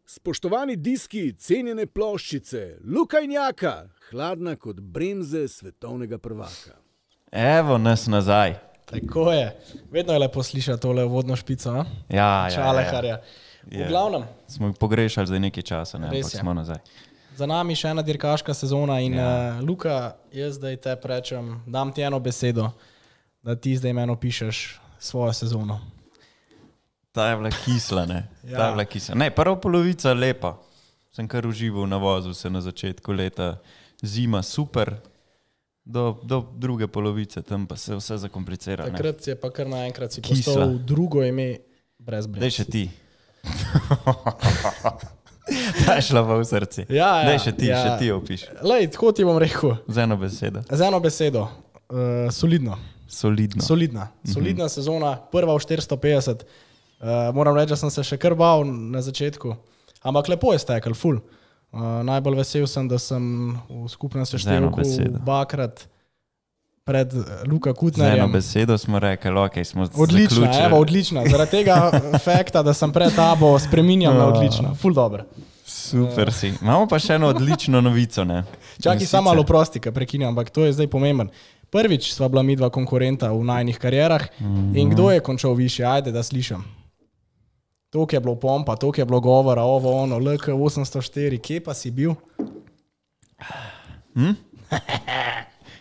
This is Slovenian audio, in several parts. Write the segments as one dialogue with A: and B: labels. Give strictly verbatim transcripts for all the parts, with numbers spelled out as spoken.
A: Spoštovani diski, cenjene ploščice, Luka in Jaka, hladna kot bremze svetovnega prvaka.
B: Evo nas nazaj.
C: Tako je. Vedno je lepo slišati tole vodno špico, a?
B: Ja, ja,
C: Čaleharja.
B: ja.
C: V glavnem.
B: Smo jih pogrešali zdaj nekaj časa, ne, ampak
C: je.
B: smo nazaj.
C: Za nami še ena dirkaška sezona in
B: Ja.
C: uh, Luka, jaz zdaj te prečem, dam ti eno besedo, da ti zdaj meni opišeš svojo sezono.
B: Ta je bila kisla, ne.
C: Ja.
B: Ta je bila kisla. Ne, prva polovica lepa. Sem kar užival na vozu se na začetku leta. Zima super. Do, do druge polovice, tam pa se vse zakomplicira. Ne.
C: Takrat je pa kar naenkrat si
B: Kisla.
C: postal drugo ime brez brez.
B: Daj še ti. Ta je šla pa v srce.
C: Ja, ja,
B: Daj še ti,
C: ja.
B: še ti opiš.
C: Lej, tako ti bom rekel.
B: Z eno besedo.
C: Z eno besedo. Uh, solidno.
B: Solidno.
C: Solidna. Solidna mm-hmm. sezona, prva v štiristo petdeset. Uh, moram reči, da sem se še kar bal na začetku. Ampak lepo je stekel, ful. Uh, najbolj vesel sem, da sem v skupnem seštevku dvakrat pred Luka
B: Z eno
C: Kutnerjem.
B: besedo smo rekli, ok, smo
C: Odlična,
B: zaključili.
C: evo, odlična. Zaradi tega fakta, da sem pred tabo, spreminjam na odlična. Ful dobro.
B: Super si. Imamo pa še eno odlično novico, ne?
C: Čakaj, samo malo prosti, ka prekinjam, ampak to je zdaj pomemben. Prvič sva bila midva konkurenta v najnih karierah mm-hmm. in kdo je končal više? Ajde, da slišam. Tok je bilo pompa, tok je bilo govora, ovo, ono, L K osemsto štiri, kje pa si bil?
B: Hm?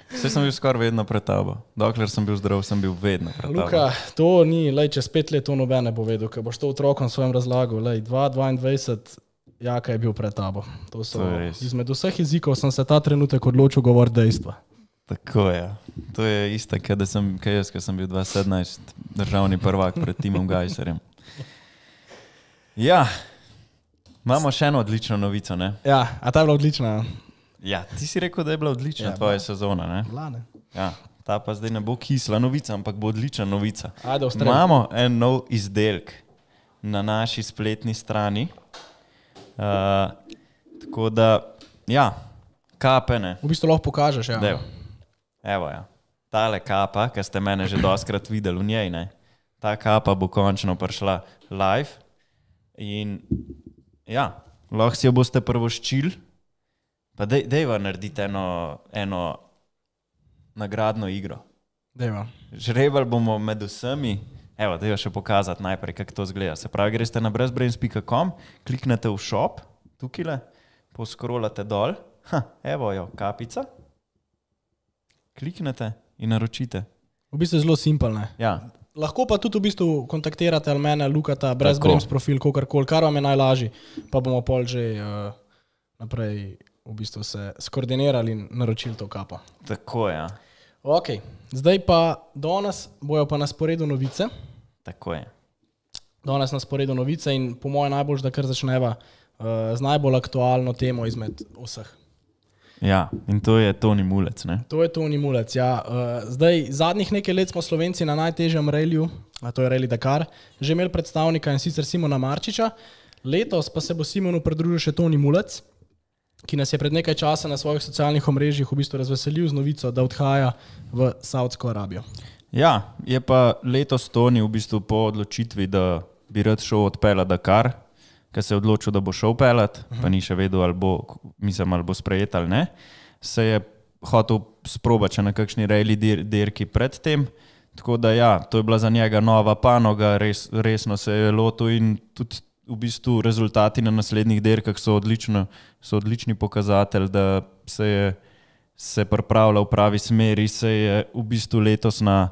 B: Vse sem bil skoraj vedno pred tabo. Dokler sem bil zdrav, sem bil vedno pred tabo.
C: Luka, to ni, lej, čez pet let to nobene povedal, ker boš to otrokom svojim razlagal. Lej, dva dvaindvajset, Jaka je bil pred tabo. To so,
B: To je res.
C: izmed vseh jezikov sem se ta trenutek odločil govoriti dejstva.
B: Tako je. To je isto, kaj sem, kaj jaz, ko sem bil dva sedemnajst državni prvak pred Timom Gajserjem. Ja, imamo še eno odlično novico, ne?
C: Ja, a ta je bila odlična.
B: Ja, ti si rekel, da je bila odlična
C: Ja,
B: tvoja sezona, ne?
C: Vlane.
B: Ja, ta pa zdaj ne bo kisla novica, ampak bo odlična novica.
C: Ajde, ustrelj.
B: Imamo en nov izdelek na naši spletni strani. Uh, tako da, ja, kape, ne?
C: V bistvu lahko pokažeš, ja.
B: Dev. Evo, ja. Tale kapa, ki ste mene že doskrat videli v njej, ne? Ta kapa bo končno prišla live in ja, lahko si jo boste prvoščili. Pa dej, dejva narediti eno, eno nagradno igro.
C: Dejva.
B: Žrebali bomo med vsemi. Evo, dejva še pokazati najprej, kako to zgleda. Se pravi, greste na brezbrains pika com, kliknete v shop, tukile, poskrolate dol. Ha, evo jo, kapica. Kliknete in naročite.
C: V bistvu je zelo simpelne.
B: Ja,
C: Lahko pa tudi v bistvu kontaktirate ali mene, Lukata, brez brems profil, kogarkoli, kar vam je najlažji, pa bomo pol že uh, naprej v bistvu se skoordinirali in naročili to kapo.
B: tako je. Ja.
C: Ok, zdaj pa danes bojo pa na sporedu novice.
B: Tako je.
C: Danes na sporedu novice in po mojem najbolj, da kar začneva uh, z najbolj aktualno temo izmed vseh.
B: Ja, in to je Toni Mulec, ne?
C: To je Toni Mulec, ja. Uh, zdaj, zadnjih nekaj let smo Slovenci na najtežjem reliju, a to je Rally Dakar, že imeli predstavnika in sicer Simona Marčiča. Letos pa se bo Simonu pridružil še Toni Mulec, ki nas je pred nekaj časa na svojih socialnih omrežjih v bistvu razveselil z novico, da odhaja v Saudsko Arabijo.
B: Ja, je pa letos Toni v bistvu po odločitvi, da bi rad šel odpeljati Dakar, ker se je odločil, da bo šel peljati, uh-huh. pa ni še vedel, ali bo, mislim, ali bo sprejet ali ne, se je hotel sprobati še na kakšni rally dir, dirki pred tem, tako da ja, to je bila za njega nova panoga, res, resno se je lotil in tudi v bistvu rezultati na naslednjih dirkah so, odlično, so odlični pokazatelj, da se je se pripravlja v pravi smeri, se je v bistvu letos na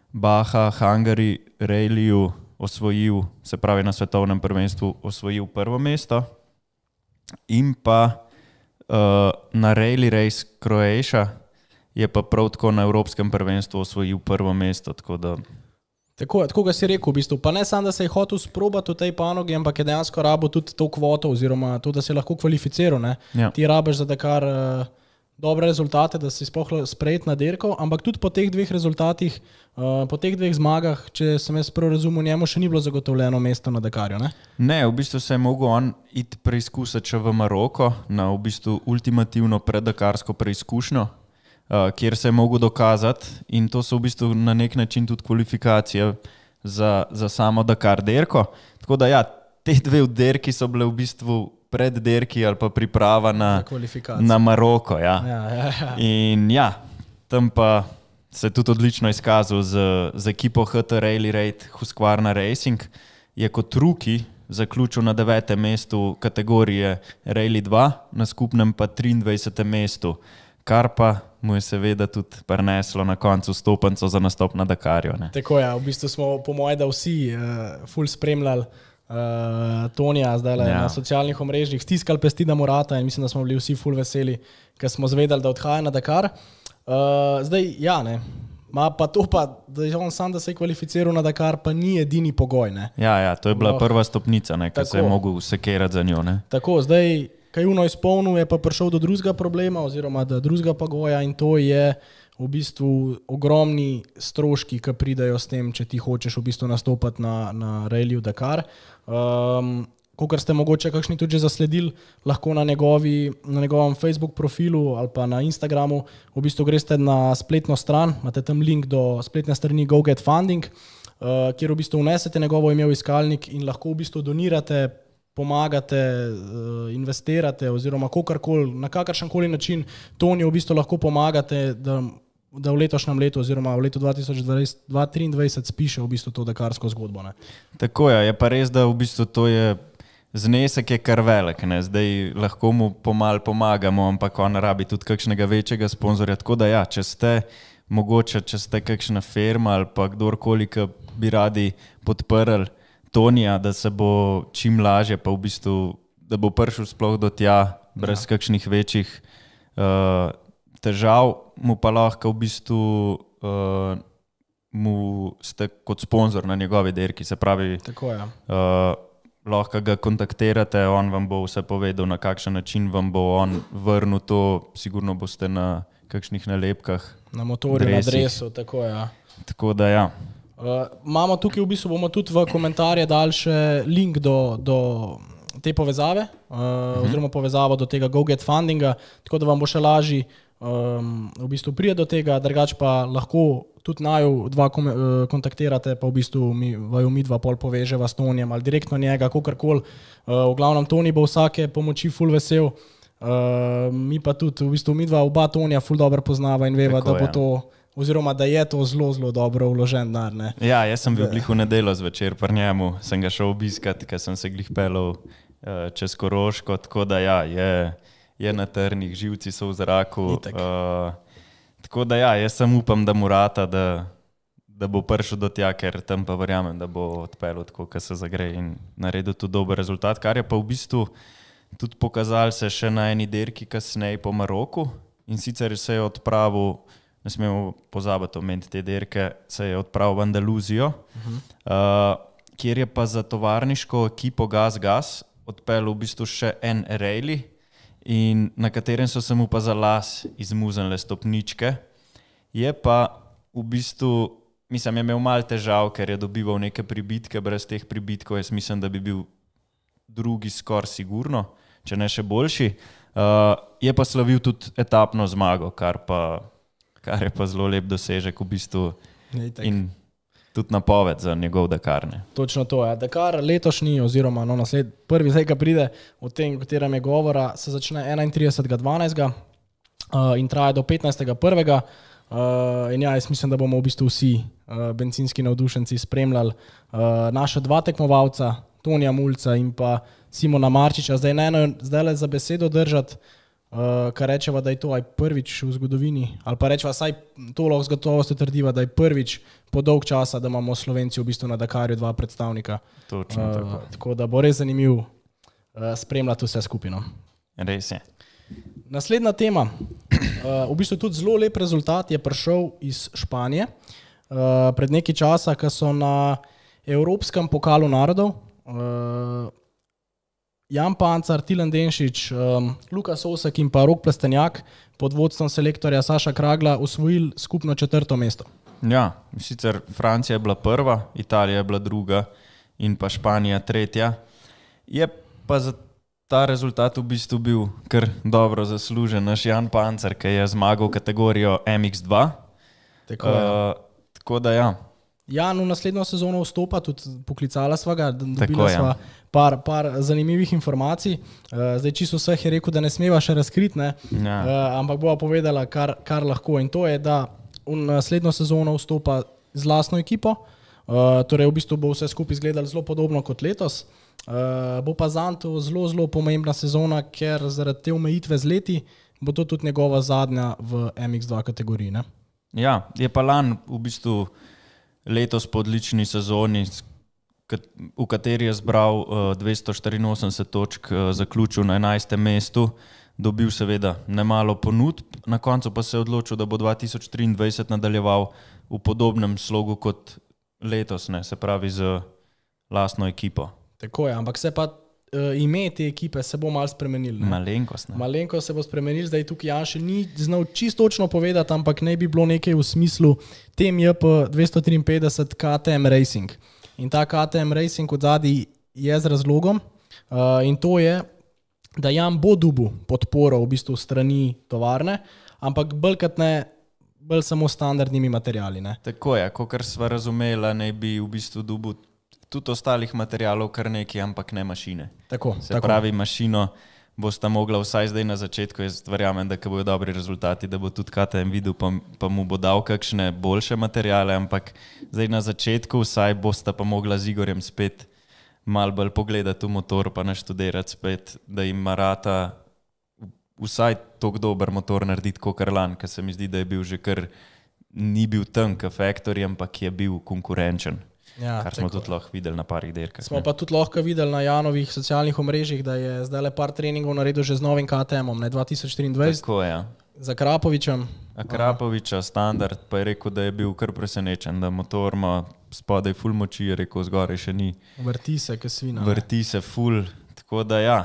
B: Baha Hungary rallyju osvojil, se pravi na svetovnem prvenstvu osvojil prvo mesto in pa uh, na Rally Race Croatia je pa prav tako na evropskem prvenstvu osvojil prvo mesto, tako da
C: Tako, tako ga si rekel, v bistvu. Pa ne samo, da se je hotel sprobati v tej panogi, ampak je dejansko rabo tudi to kvoto oziroma to, da se lahko kvalificiral. Ne?
B: Ja.
C: Ti rabiš za Dakar uh, dobre rezultate, da si sploh sprejet na dirko, ampak tudi po teh dveh rezultatih, uh, po teh dveh zmagah, če sem jaz prav razumel, njemu še ni bilo zagotovljeno mesto na Dakarju. Ne,
B: ne v bistvu se je mogel on iti preizkusiti še v Maroko na v bistvu ultimativno preddakarsko preizkušnjo, Uh, kjer se je mogel dokazati in to so v bistvu na nek način tudi kvalifikacije za, za samo Dakar dirko. Tako da ja, te dve derki so bile v bistvu pred derki ali pa priprava na, na Maroko. Ja.
C: Ja, ja, ja.
B: In ja, tam pa se je tudi odlično izkazal z, z ekipo H T Rally Raid Husqvarna Racing. Je kot ruki zaključil na devetem mestu kategorije Rally dva, na skupnem pa triindvajsetem mestu, kar pa mu je seveda tudi prineslo na koncu stopenco za nastop na Dakarju. Ne.
C: Tako je, v bistvu smo po moje, da vsi uh, ful spremljali uh, Tonija zdaj ja. na socialnih omrežjih, stiskali pesti, da mu rata in mislim, da smo bili vsi ful veseli, ker smo zvedali, da odhaja na Dakar. Uh, zdaj, ja, ne. Ma pa to pa, da je on sam, da se je kvalificiral na Dakar, pa ni edini pogoj. Ne.
B: Ja, ja, to je bila oh. prva stopnica, ne, ker se je mogel sekerati za njo. Ne.
C: Tako, zdaj, kaj uno izpolnil, je pa prišel do drugega problema oziroma do drugega pogoja in to je v bistvu ogromni stroški, ki pridajo s tem, če ti hočeš v bistvu nastopati na, na Rallyju Dakar. Um, Kakor ste mogoče kakšni tudi že zasledili, lahko na, njegovi, na njegovem Facebook profilu ali pa na Instagramu v bistvu greste na spletno stran, imate tam link do spletne strani Go Get Funding, uh, kjer v bistvu vnesete njegovo ime v iskalnik in lahko v bistvu donirate, pomagate, uh, investirate oziroma kakorkoli, na kakršenkoli način Toniju v bistvu lahko pomagate, da, da v letošnjem letu oziroma v letu dva tisoč triindvajset spiše v bistvu to dakarsko zgodbo. Ne.
B: Tako je, je pa res, da v bistvu to je znesek je kar velik, ne? Zdaj lahko mu pomal pomagamo, ampak on rabi tudi kakšnega večjega sponzorja, tako da ja, če ste mogoče, če ste kakšna firma ali pa kdorkoli, ki bi radi podprli Tonija, da se bo čim lažje, pa v bistvu, da bo prišel sploh do tja, brez ja. kakšnih večjih uh, težav, mu pa lahko v bistvu uh, mu ste kot sponzor na njegovi derki, se pravi,
C: tako je.
B: Uh, lahko ga kontaktirate, on vam bo vse povedal, na kakšen način vam bo on vrnil to, sigurno boste na kakšnih nalepkah.
C: Na motorju, na dresu, tako je. Ja.
B: Tako da ja.
C: Uh, imamo tukaj v bistvu, bomo tudi v komentarje dali še link do, do te povezave, uh, uh-huh. oziroma povezavo do tega Go Get Fundinga, tako da vam bo še lažji um, v bistvu prije do tega, drugač pa lahko tudi naju dva kontaktirate, pa v bistvu mi, vaju mi dva pol poveževa s Tonijem ali direktno njega, kakorkoli. Uh, v glavnem Toni bo vsake pomoči ful vesel, uh, mi pa tudi v bistvu mi dva oba Tonija ful dobro poznava in veva, tako, da bo ja. to, oziroma da je to zelo, zelo dobro vložen denar. Ne.
B: Ja, jaz sem bil glih v nedeljo zvečer pri njemu, sem ga šel obiskat, ker sem se glih pelal uh, čez Koroško, tako da ja, je, je na trnih, živci so v zraku. Tako da ja, jaz sem upam, da mu rata, da, da bo prišel do tja, ker tam pa verjamem, da bo odpeljal tako, kar se zagre in naredil tudi dober rezultat, kar je pa v bistvu tudi pokazal se še na eni derki kasneje po Maroku in sicer se je odpravil, ne smemo pozabiti omeniti te derke, se je odpravil v Andaluzijo, uh-huh. uh, kjer je pa za tovarniško ekipo Gas Gas odpeljal v bistvu še en rally, in na katerem so se mu pa za las izmuznile stopničke. Je pa v bistvu, mislim, je imel malo težav, ker je dobival neke pribitke, brez teh pribitkov jaz mislim, da bi bil drugi skoraj sigurno, če ne še boljši. Uh, je pa slavil tudi etapno zmago, kar, pa, kar je pa zelo lep dosežek v bistvu in tudi napoved za njegov Dakar. Ne.
C: Točno to je. Dakar letošnji oziroma no, nasled, prvi zdaj, ki pride v tem, o katerem je govora, se začne enaintridesetega dvanajstega uh, in traja do petnajstega prvega Uh, in ja, jaz mislim, da bomo v bistvu vsi uh, bencinski navdušenci spremljali uh, naša dva tekmovalca, Tonija Mulca in pa Simona Marčiča. Zdaj ne eno zdaj le za besedo držati, uh, kar rečeva, da je to aj prvič v zgodovini, ali pa rečeva, saj to lahko z gotovostjo trdiva, da je prvič po dolg časa, da imamo Slovenci v bistvu na Dakarju dva predstavnika.
B: Točno uh, tako.
C: Tako da bo res zanimiv uh, spremljati vse skupino.
B: Res je.
C: Naslednja tema, uh, v bistvu tudi zelo lep rezultat je prišel iz Španije. Uh, pred nekaj časa, ko so na Evropskem pokalu narodov uh, Jan Pancar, Tilen Denšič, um, Lukas Osek in pa Rok Plestenjak pod vodstvom selektorja Saša Kragla osvojili skupno četrto mesto.
B: Ja, sicer Francija je bila prva, Italija je bila druga in pa Španija tretja. Je pa za ta rezultat v bistvu bil kar dobro zaslužen naš Jan Pancar, ki je zmagal kategorijo M X dva.
C: Tako,
B: uh, tako da ja,
C: Jan v naslednjo sezono vstopa, tudi poklicala sva ga, dobila
B: Tako, ja.
C: sva par, par zanimivih informacij. Uh, zdaj čisto vseh je rekel, da ne smeva še razkriti, ne?
B: Ja.
C: Uh, ampak bova povedala, kar, kar lahko. In to je, da v naslednjo sezono vstopa z lastno ekipo, uh, torej v bistvu bo vse skupaj izgledalo zelo podobno kot letos. Uh, bo pa zanj to zelo, zelo pomembna sezona, ker zaradi te omejitve z leti bo to tudi njegova zadnja v M X dva kategoriji. Ne?
B: Ja, je pa lan v bistvu letos po odlični sezoni, v kateri je zbral uh, dvesto štiriinosemdeset točk, uh, zaključil na enajstem mestu, dobil seveda nemalo ponudb, na koncu pa se je odločil, da bo dva tisoč triindvajset nadaljeval v podobnem slogu kot letos, ne, se pravi z lastno ekipo.
C: Tako je, ampak se pa uh, ime te ekipe se bo malo spremenil. Ne?
B: Malenkost, ne?
C: Malenkost se bo spremenil, zdaj tukaj Jan še ni znal čisto točno povedati, ampak naj bi bilo nekaj v smislu T M J P dvesto triinpetdeset K T M Racing. In ta K T M Racing od zadaj je z razlogom uh, in to je, da Jan bo dobil podporo v bistvu strani tovarne, ampak bolj kot ne, bolj samo standardnimi materiali. Ne?
B: Tako je, kakor sva razumela, naj bi v bistvu dobil tudi ostalih materialov kar nekaj, ampak ne mašine.
C: Tako,
B: Se
C: tako.
B: pravi, mašino bosta mogla vsaj zdaj na začetku, jaz verjamem, da ko bojo dobri rezultati, da bo tudi K T M videl, pa, pa mu bo dal kakšne boljše materiale, ampak zdaj na začetku vsaj bosta pa mogla z Igorjem spet malo bolj pogledati v motor, pa naštudirati spet, da jim marata vsaj toliko dober motor narediti kot Karlan, ker se mi zdi, da je bil že kar, ni bil tam k Factory, ampak je bil konkurenčen.
C: Ja,
B: kar smo
C: tako.
B: tudi lahko videli na parih dirkah.
C: Smo pa tudi lahko videli na Janovih socialnih omrežjih, da je zdaj le par treningov naredil že z novim K T M-om, ne dva tisoč triindvajset,
B: Tako je.
C: za Krapovičem.
B: Akrapoviča, standard, pa je rekel, da je bil kar presenečen, da motor ima spodaj ful moči, je rekel, zgoraj še ni.
C: Vrti se, kot svina. ne.
B: Vrti se ful, tako da ja,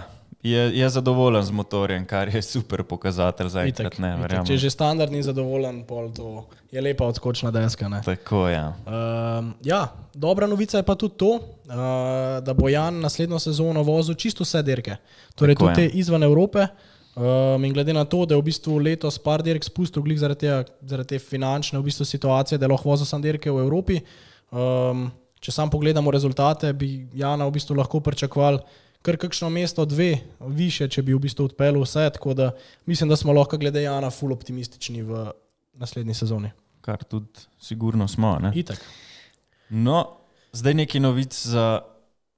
B: je, je zadovoljen z motorjem, kar je super pokazatelj za
C: Itak,
B: enkrat, ne,
C: itak.
B: verjamem.
C: Če je že standard ni zadovoljen, pol to je lepa odskočna deska. Ne?
B: Tako je. Ja.
C: Um, ja, dobra novica je pa tudi to, uh, da bo Jan naslednjo sezono vozil čisto vse dirke. Torej
B: Tako
C: tudi
B: je.
C: te izven Evrope. Um, in glede na to, da je v bistvu letos par dirk spustil glih zaradi, tega, zaradi te finančne v bistvu situacije, da je lahko vozil sam dirke v Evropi. Um, če sam pogledamo rezultate, bi Jana v bistvu lahko pričakovali kar kakšno mesto, dve više, če bi v bistvu odpeljal vse. Tako da mislim, da smo lahko glede Jana ful optimistični v naslednji sezoni.
B: Kar tudi sigurno smo. Ne?
C: Itak.
B: No, zdaj neki novic za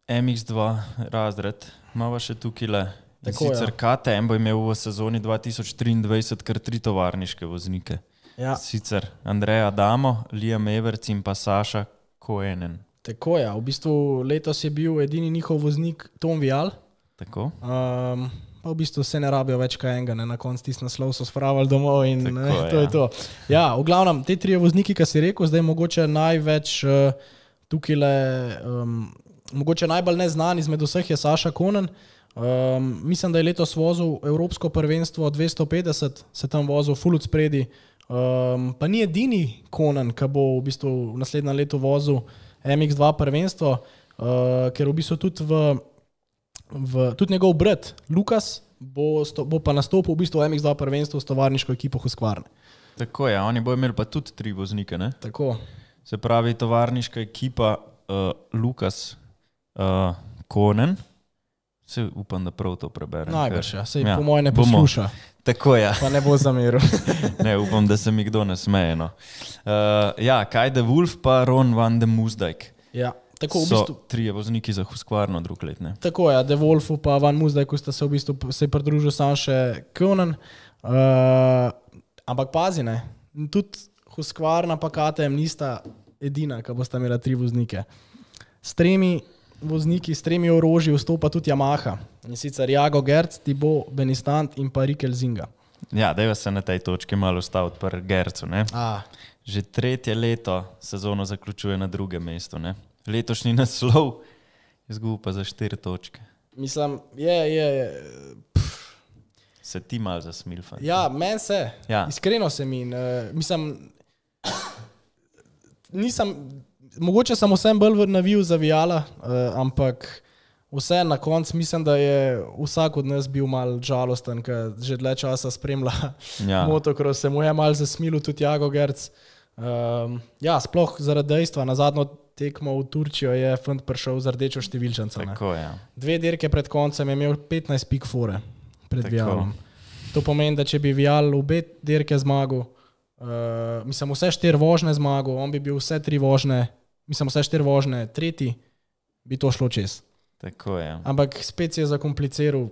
B: M X dva razred. Imamo še tukaj le. In
C: Tako,
B: sicer
C: ja.
B: K T M bo imel v sezoni dva tisoč triindvajset kar tri tovarniške voznike.
C: Ja.
B: Sicer Andreja Adamo, Liam Everts in pa Saša Koenen.
C: Tako je, v bistvu letos je bil edini njihov voznik Tom Vial,
B: Tako?
C: um, pa v bistvu se ne rabijo več kaj enega, ne? Na koncu tisti naslov so spravili domov in
B: Tako,
C: ne, to
B: ja.
C: je to. Ja, v glavnem, te trije vozniki, ki si rekel, zdaj mogoče največ uh, tukaj le, um, mogoče najbolj neznan izmed vseh je Saša Konen. Um, mislim, da je letos vozil Evropsko prvenstvo dvesto petdeset, se tam vozil full od spredi, um, pa ni edini Konen, ki bo v bistvu v naslednjem letu vozil M X dva prvenstvo, uh, ker v bistvu tudi, v, v, tudi njegov brat Lukas bo, sto, bo pa nastopil v bistvu v M X dva prvenstvu s tovarniško ekipo Husqvarna.
B: Tako je, oni bojo imeli pa tudi tri voznike. Ne?
C: Tako.
B: Se pravi, tovarniška ekipa uh, Lukas uh, Konen. Se upam, da prav to preberem.
C: Najbrž, ja. Sej
B: ja,
C: po moje ne
B: bomo.
C: posluša,
B: Tako je.
C: pa ne bo zameril.
B: Ne, upam, da se mi kdo ne smeje. No. Uh, ja, Kaj de Wolf pa Ron van de Moosdijk.
C: Ja, tako v
B: So
C: bistvu.
B: trije vozniki za Husqvarno drug let. Ne?
C: Tako je, De Wolfu pa Van Moosdijku sta se v bistvu se je pridružil sam še Konen. Uh, ampak pazi, ne, tudi Husqvarna pa K T M nista edina, ki bosta imela tri voznike. S tremi vozniki, s tremi orožji vstopa tudi Yamaha. In sicer Jago Gerc, Thibaut Benistant in pa Rikel Zinga.
B: Ja, dajva se na tej točki malo ustaviti pri Gercu. Ne?
C: A,
B: Že tretje leto sezono zaključuje na drugem mestu. Ne? Letošnji naslov izgubil pa za štiri točke.
C: mislim, je, je, je
B: Se ti malo zasmil, fant.
C: ja, meni se,
B: Ja.
C: iskreno se mi, in, uh, mislim, nisem, mogoče sem vsem bolj navil za Viala, uh, ampak vse na koncu mislim, da je vsak od nas bil mal žalosten, ker že dlje časa spremlja
B: Ja.
C: motocross, se mu je mal zasmilil tudi Jago Gerc. Um, ja, sploh zaradi dejstva, na zadnjo tekmo v Turčijo je fant prišel z rdečo številčnico.
B: Tako, ja.
C: Dve dirke pred koncem je imel petnajst pik fore pred
B: Tako.
C: Vialom. To pomeni, da če bi Vial obe dirke zmagal, uh, mislim vse štiri vožne zmagal, on bi bil vse tri vožne, mislim vse štiri vožne tretji, bi to šlo čez.
B: Tako, ja.
C: Ampak spet je zakompliciral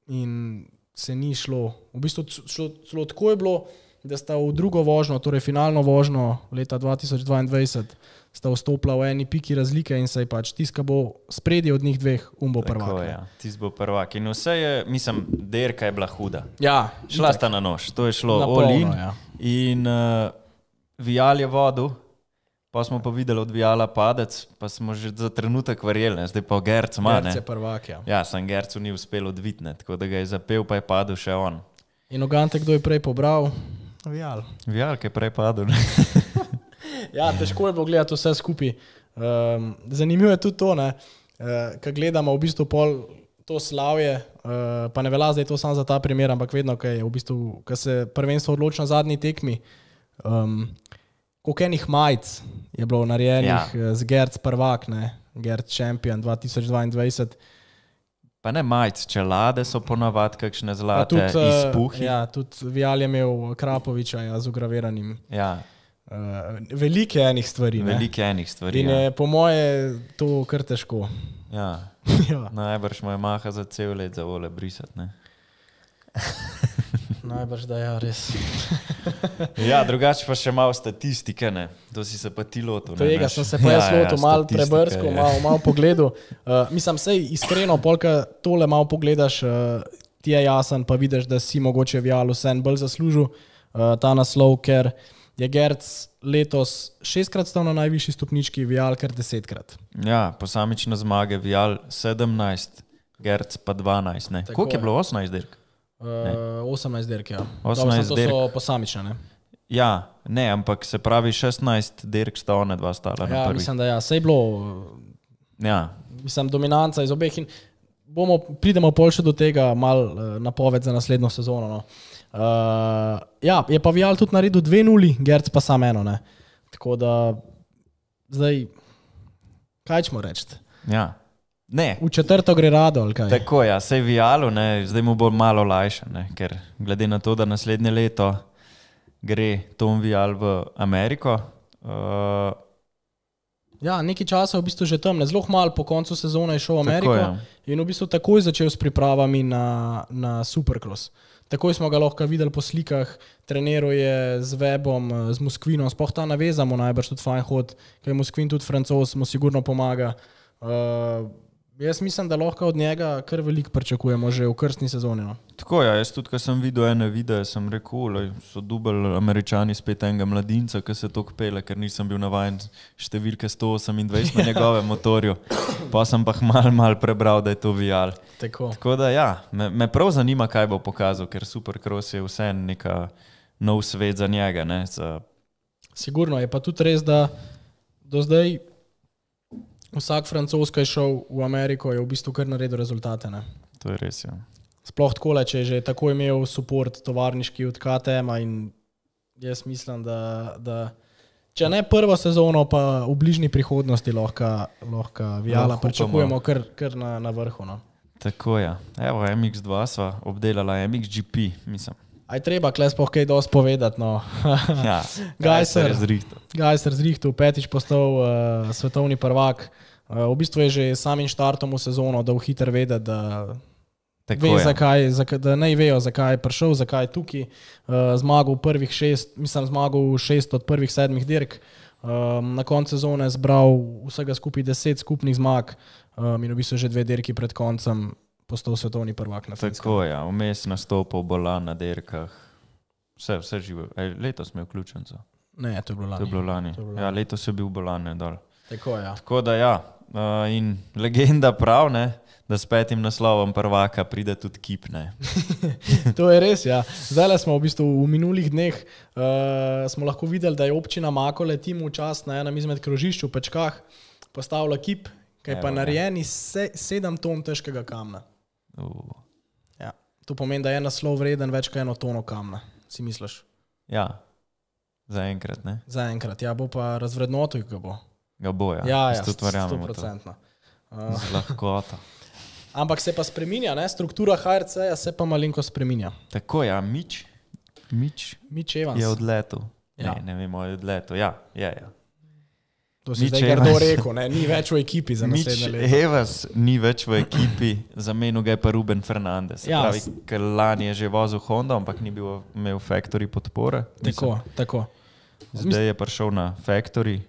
C: in se ni šlo. V bistvu šlo, šlo tako je bilo, da sta v drugo vožnjo, torej finalno vožnjo leta dva tisoč dvaindvajset, sta vstopila v eni piki razlike in se je pač tiska bo spredi od njih dveh, um bo prvak.
B: Tako, ja. Tis bo prvak. In vse je, mislim, derka je bila huda.
C: Ja,
B: Šla sta na nož, to je šlo
C: Na
B: all in.
C: polno, ja.
B: In uh, Vial je vodil, pa smo pa videli od Viala padec, pa smo že za trenutek verjeli, zdaj pa Gerc ima, ne?
C: Gerc je prvak, ja.
B: Ja, sem Gercu ni uspel odvitne, tako da ga je zapel, pa je padel še on.
C: In Ogante, kdo je prej pobral? Vial.
B: Vial, ki je prej padel, ne?
C: Ja, težko je bilo gledati vse skupaj. Um, zanimivo je tudi to, ne, uh, ko gledamo v bistvu pol to slavje, uh, pa ne velja zdaj to samo za ta primer, ampak vedno, ko je v bistvu, ko se prvenstvo odloči na zadnji tekmi, um, koliko enih majic je bilo narejenih ja. z Gerc prvak, ne, Gerc Champion dva tisoč dvaindvajset.
B: Pa ne majic, čelade so ponavad kakšne
C: Pa
B: zlate
C: tudi, uh,
B: izpuhi.
C: ja, tudi Vial je imel Krapoviča ja, z ugraviranim.
B: Ja,
C: Uh, velike enih stvari. Ne?
B: velike enih stvari.
C: In
B: Ja.
C: je po moje to kar težko.
B: Ja.
C: Ja.
B: Najbrž mu je maha za cel let za vole brisati, ne?
C: Najbrž da ja, res.
B: Ja, drugače pa še malo statistike, ne? To si se pa ti lotil. ne,
C: Tega
B: naš-
C: sem se pa jaz
B: Ja, ja,
C: lotil, malo
B: statistika
C: prebrskal,
B: je.
C: malo, malo pogledal. Uh, mislim, sej iskreno, polka tole malo pogledaš, uh, ti je jasen, pa vidiš, da si mogoče Vial vsem bolj zaslužil uh, ta naslov, ker je Gerc letos šestkrat stal na najvišji stopnički, Vial kar desetkrat.
B: Ja, posamične zmage, Vial sedemnajst, Gerc pa dvanajst, ne?
C: Tako
B: Koliko je
C: je.
B: bilo osemnajst dirk?
C: Uh, osemnajst dirk, ja.
B: osemnajst
C: Dobro, samo to so
B: dirk.
C: posamične, ne?
B: Ja, ne, ampak se pravi šestnajst dirk sta one dva stala na
C: Ja,
B: prvi.
C: mislim, da ja, sej bilo, uh,
B: Ja,
C: mislim, dominanca iz obeh in bomo, pridemo pol še do tega, mal uh, napoved za naslednjo sezono, no. Uh, ja, je pa Vial tudi naredil dve nuli, Gerc pa samo eno, ne. Tako da, zdaj, kaj ćemo reči?
B: ja. Ne,
C: V četrto gre rado, ali kaj?
B: tako ja, sej Vialu, ne, zdaj mu bo malo lajše, ne, ker glede na to, da naslednje leto gre Tom Vial v Ameriko, uh,
C: Ja, nekaj časa je v bistvu že tam, ne, zelo malo po koncu sezone je šel v
B: Tako,
C: Ameriko
B: ja.
C: in v bistvu takoj začel s pripravami na, na Supercross. Takoj smo ga lahko videli po slikah, treniral je z Webom, z Moskvinom, sploh ta naveza mu najbrž tudi fajn hod, ker je Moskvin tudi Francoz, mu sigurno pomaga. Uh, jaz mislim, da lahko od njega kar veliko pričakujemo že v krstni sezoni. No.
B: tako ja, jaz tudi, ko sem videl ene videe, sem rekel, lej, so dubali Američani spet enega mladinca, ki se toliko pele, ker nisem bil navajen številke sto osemindvajset na njegovem motorju, pa sem pa mal, mal prebral, da je to Vial.
C: Tako.
B: Tako da ja, me, me prav zanima, kaj bo pokazal, ker Supercross je vse neka nov svet za njega, ne, za,
C: Sigurno je pa tudi res, da do zdaj vsak Francoz, ki je šel v Ameriko, je v bistvu kar naredil rezultate. Ne.
B: to je res, ja.
C: Sploh tako, če je že tako imel support tovarniški od K T M-a in jaz mislim, da, da če ne prvo sezono, pa v bližnji prihodnosti lahko, lahko Viala
B: Lahko
C: pričakujemo kar, kar na, na vrhu. No.
B: Tako ja. Evo, M X dva sva obdelala, M X G P, mislim.
C: Aj treba, kles pa kaj dosti povedati. No.
B: Ja,
C: Gajser.
B: je zrihtal.
C: Gajser zrihtal, petič postal uh, svetovni prvak. Uh, v bistvu je že samim štartom v sezono dal hiter vedeti, da
B: Tako
C: Ve,
B: je.
C: zakaj, zakaj, da ne vejo, zakaj je prišel, zakaj je tukaj. Uh, zmagal prvih šest, mislim, zmagal šest od prvih sedmih dirk. Um, na koncu sezone zbral vsega skupaj deset skupnih zmag um, in v bistvu že dve dirki pred koncem postal svetovni prvak na Finskem.
B: Tako je, vmes nastopal bolan na dirkah. Vse, vse živo. Ej, letos mi je vključen. So.
C: Ne, to je bilo lani.
B: To je bilo lani.
C: To je bilo lani.
B: Ja, letos je bil bolan ne dol.
C: Tako je, ja.
B: Tako da ja, uh, in legenda prav, ne, da s petim naslovom prvaka pride tudi kip, ne.
C: To je res, ja. Zdaj smo v bistvu v minulih dneh uh, smo lahko videli, da je občina Makole timu čas na enem izmed krožišč v Pečkah postavila kip, ki je pa
B: Evo,
C: narejen iz se, sedem ton težkega kamna.
B: Uh,
C: Ja. To pomeni, da je naslov vreden več kot eno tono kamna, si misliš?
B: ja, Zaenkrat, ne?
C: Zaenkrat, ja, bo pa razvrednotil, ga bo.
B: Ga bo, ja.
C: Ja, ja,
B: sto
C: procentno. Uh,
B: Z lahkoto.
C: ampak se pa spreminja, ne? Struktura H R C-ja se pa malinko spreminja.
B: Tako, ja, Mič, Mič
C: Mitch Evans.
B: je odletel.
C: Ja.
B: Ne, ne vemo, je odletel. Ja, je, ja.
C: To si
B: Mitch
C: zdaj grdo
B: Evans.
C: rekel, ne? Ni več v ekipi za
B: Mič
C: naslednje leto.
B: Evans ni več v ekipi, zamenil ga je pa Ruben Fernandez. Se
C: Ja,
B: pravi,
C: s-
B: ker lani je že vozil Honda, ampak ni bil imel factory podpore.
C: Tako, tako.
B: Zdaj je prišel na factory.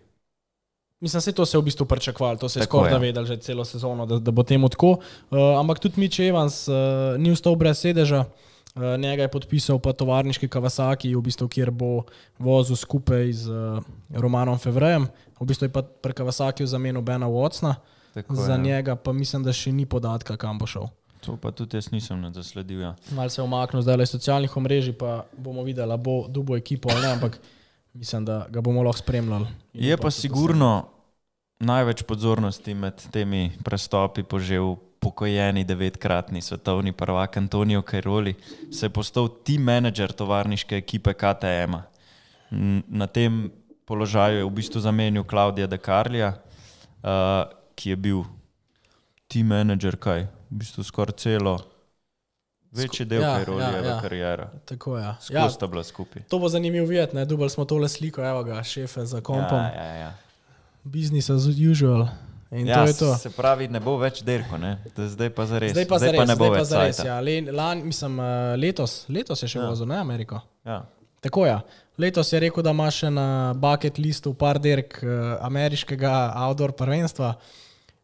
C: Mislim, se to se je v bistvu pričakovalo, to se je
B: Tako,
C: skoraj
B: ja.
C: vedel že celo sezono, da, da bo temu tako. Uh, ampak tudi Mitch Evans uh, ni ostal brez sedeža, uh, njega je podpisal pa tovarniški Kawasaki, v bistvu, kjer bo vozil skupaj z uh, Romanom Fevrejem. V bistvu je pa pri Kawasakiju zamenil Bena Watsona,
B: Tako,
C: za
B: ja.
C: njega pa mislim, da še ni podatka, kam bo šel.
B: To pa tudi jaz nisem zasledil. Ja.
C: Mal se je omaknil zdaj le iz socialnih omrežij, pa bomo videli, bo dubo ekipo ali ne, ampak mislim, da ga bomo lahko spremljali. In
B: Je
C: upam,
B: pa
C: da to
B: sigurno največ pozornosti med temi prestopi požel pokojeni devetkratni svetovni prvak Antonio Cairoli, se je postal team manager tovarniške ekipe K T M-a. N- Na tem položaju je v bistvu zamenil Claudia De Carlija, uh, ki je bil team manager kaj, v bistvu skoraj celo, večji del
C: Ja,
B: Cairolijeve
C: ja, ja.
B: kariere.
C: Tako je. Ja.
B: Skozi sta bila skupaj.
C: To bo zanimivo videti, ne? Dubali smo tole sliko, evo ga, šefe za kompom.
B: Ja, ja, ja.
C: Business as usual. In
B: Ja,
C: to je to.
B: se pravi, ne bo več dirko, ne? Da zdaj pa zares.
C: Zdaj pa
B: zdaj
C: zares,
B: pa ne bo
C: zdaj pa
B: več
C: zares.
B: cajta.
C: Ja. Le, lan, mislim, eh, letos, letos je še
B: Ja.
C: vozil, ne Ameriko.
B: Ja.
C: Tako je. Letos je rekel, da ima še na bucket listu par dirk uh, ameriškega outdoor prvenstva.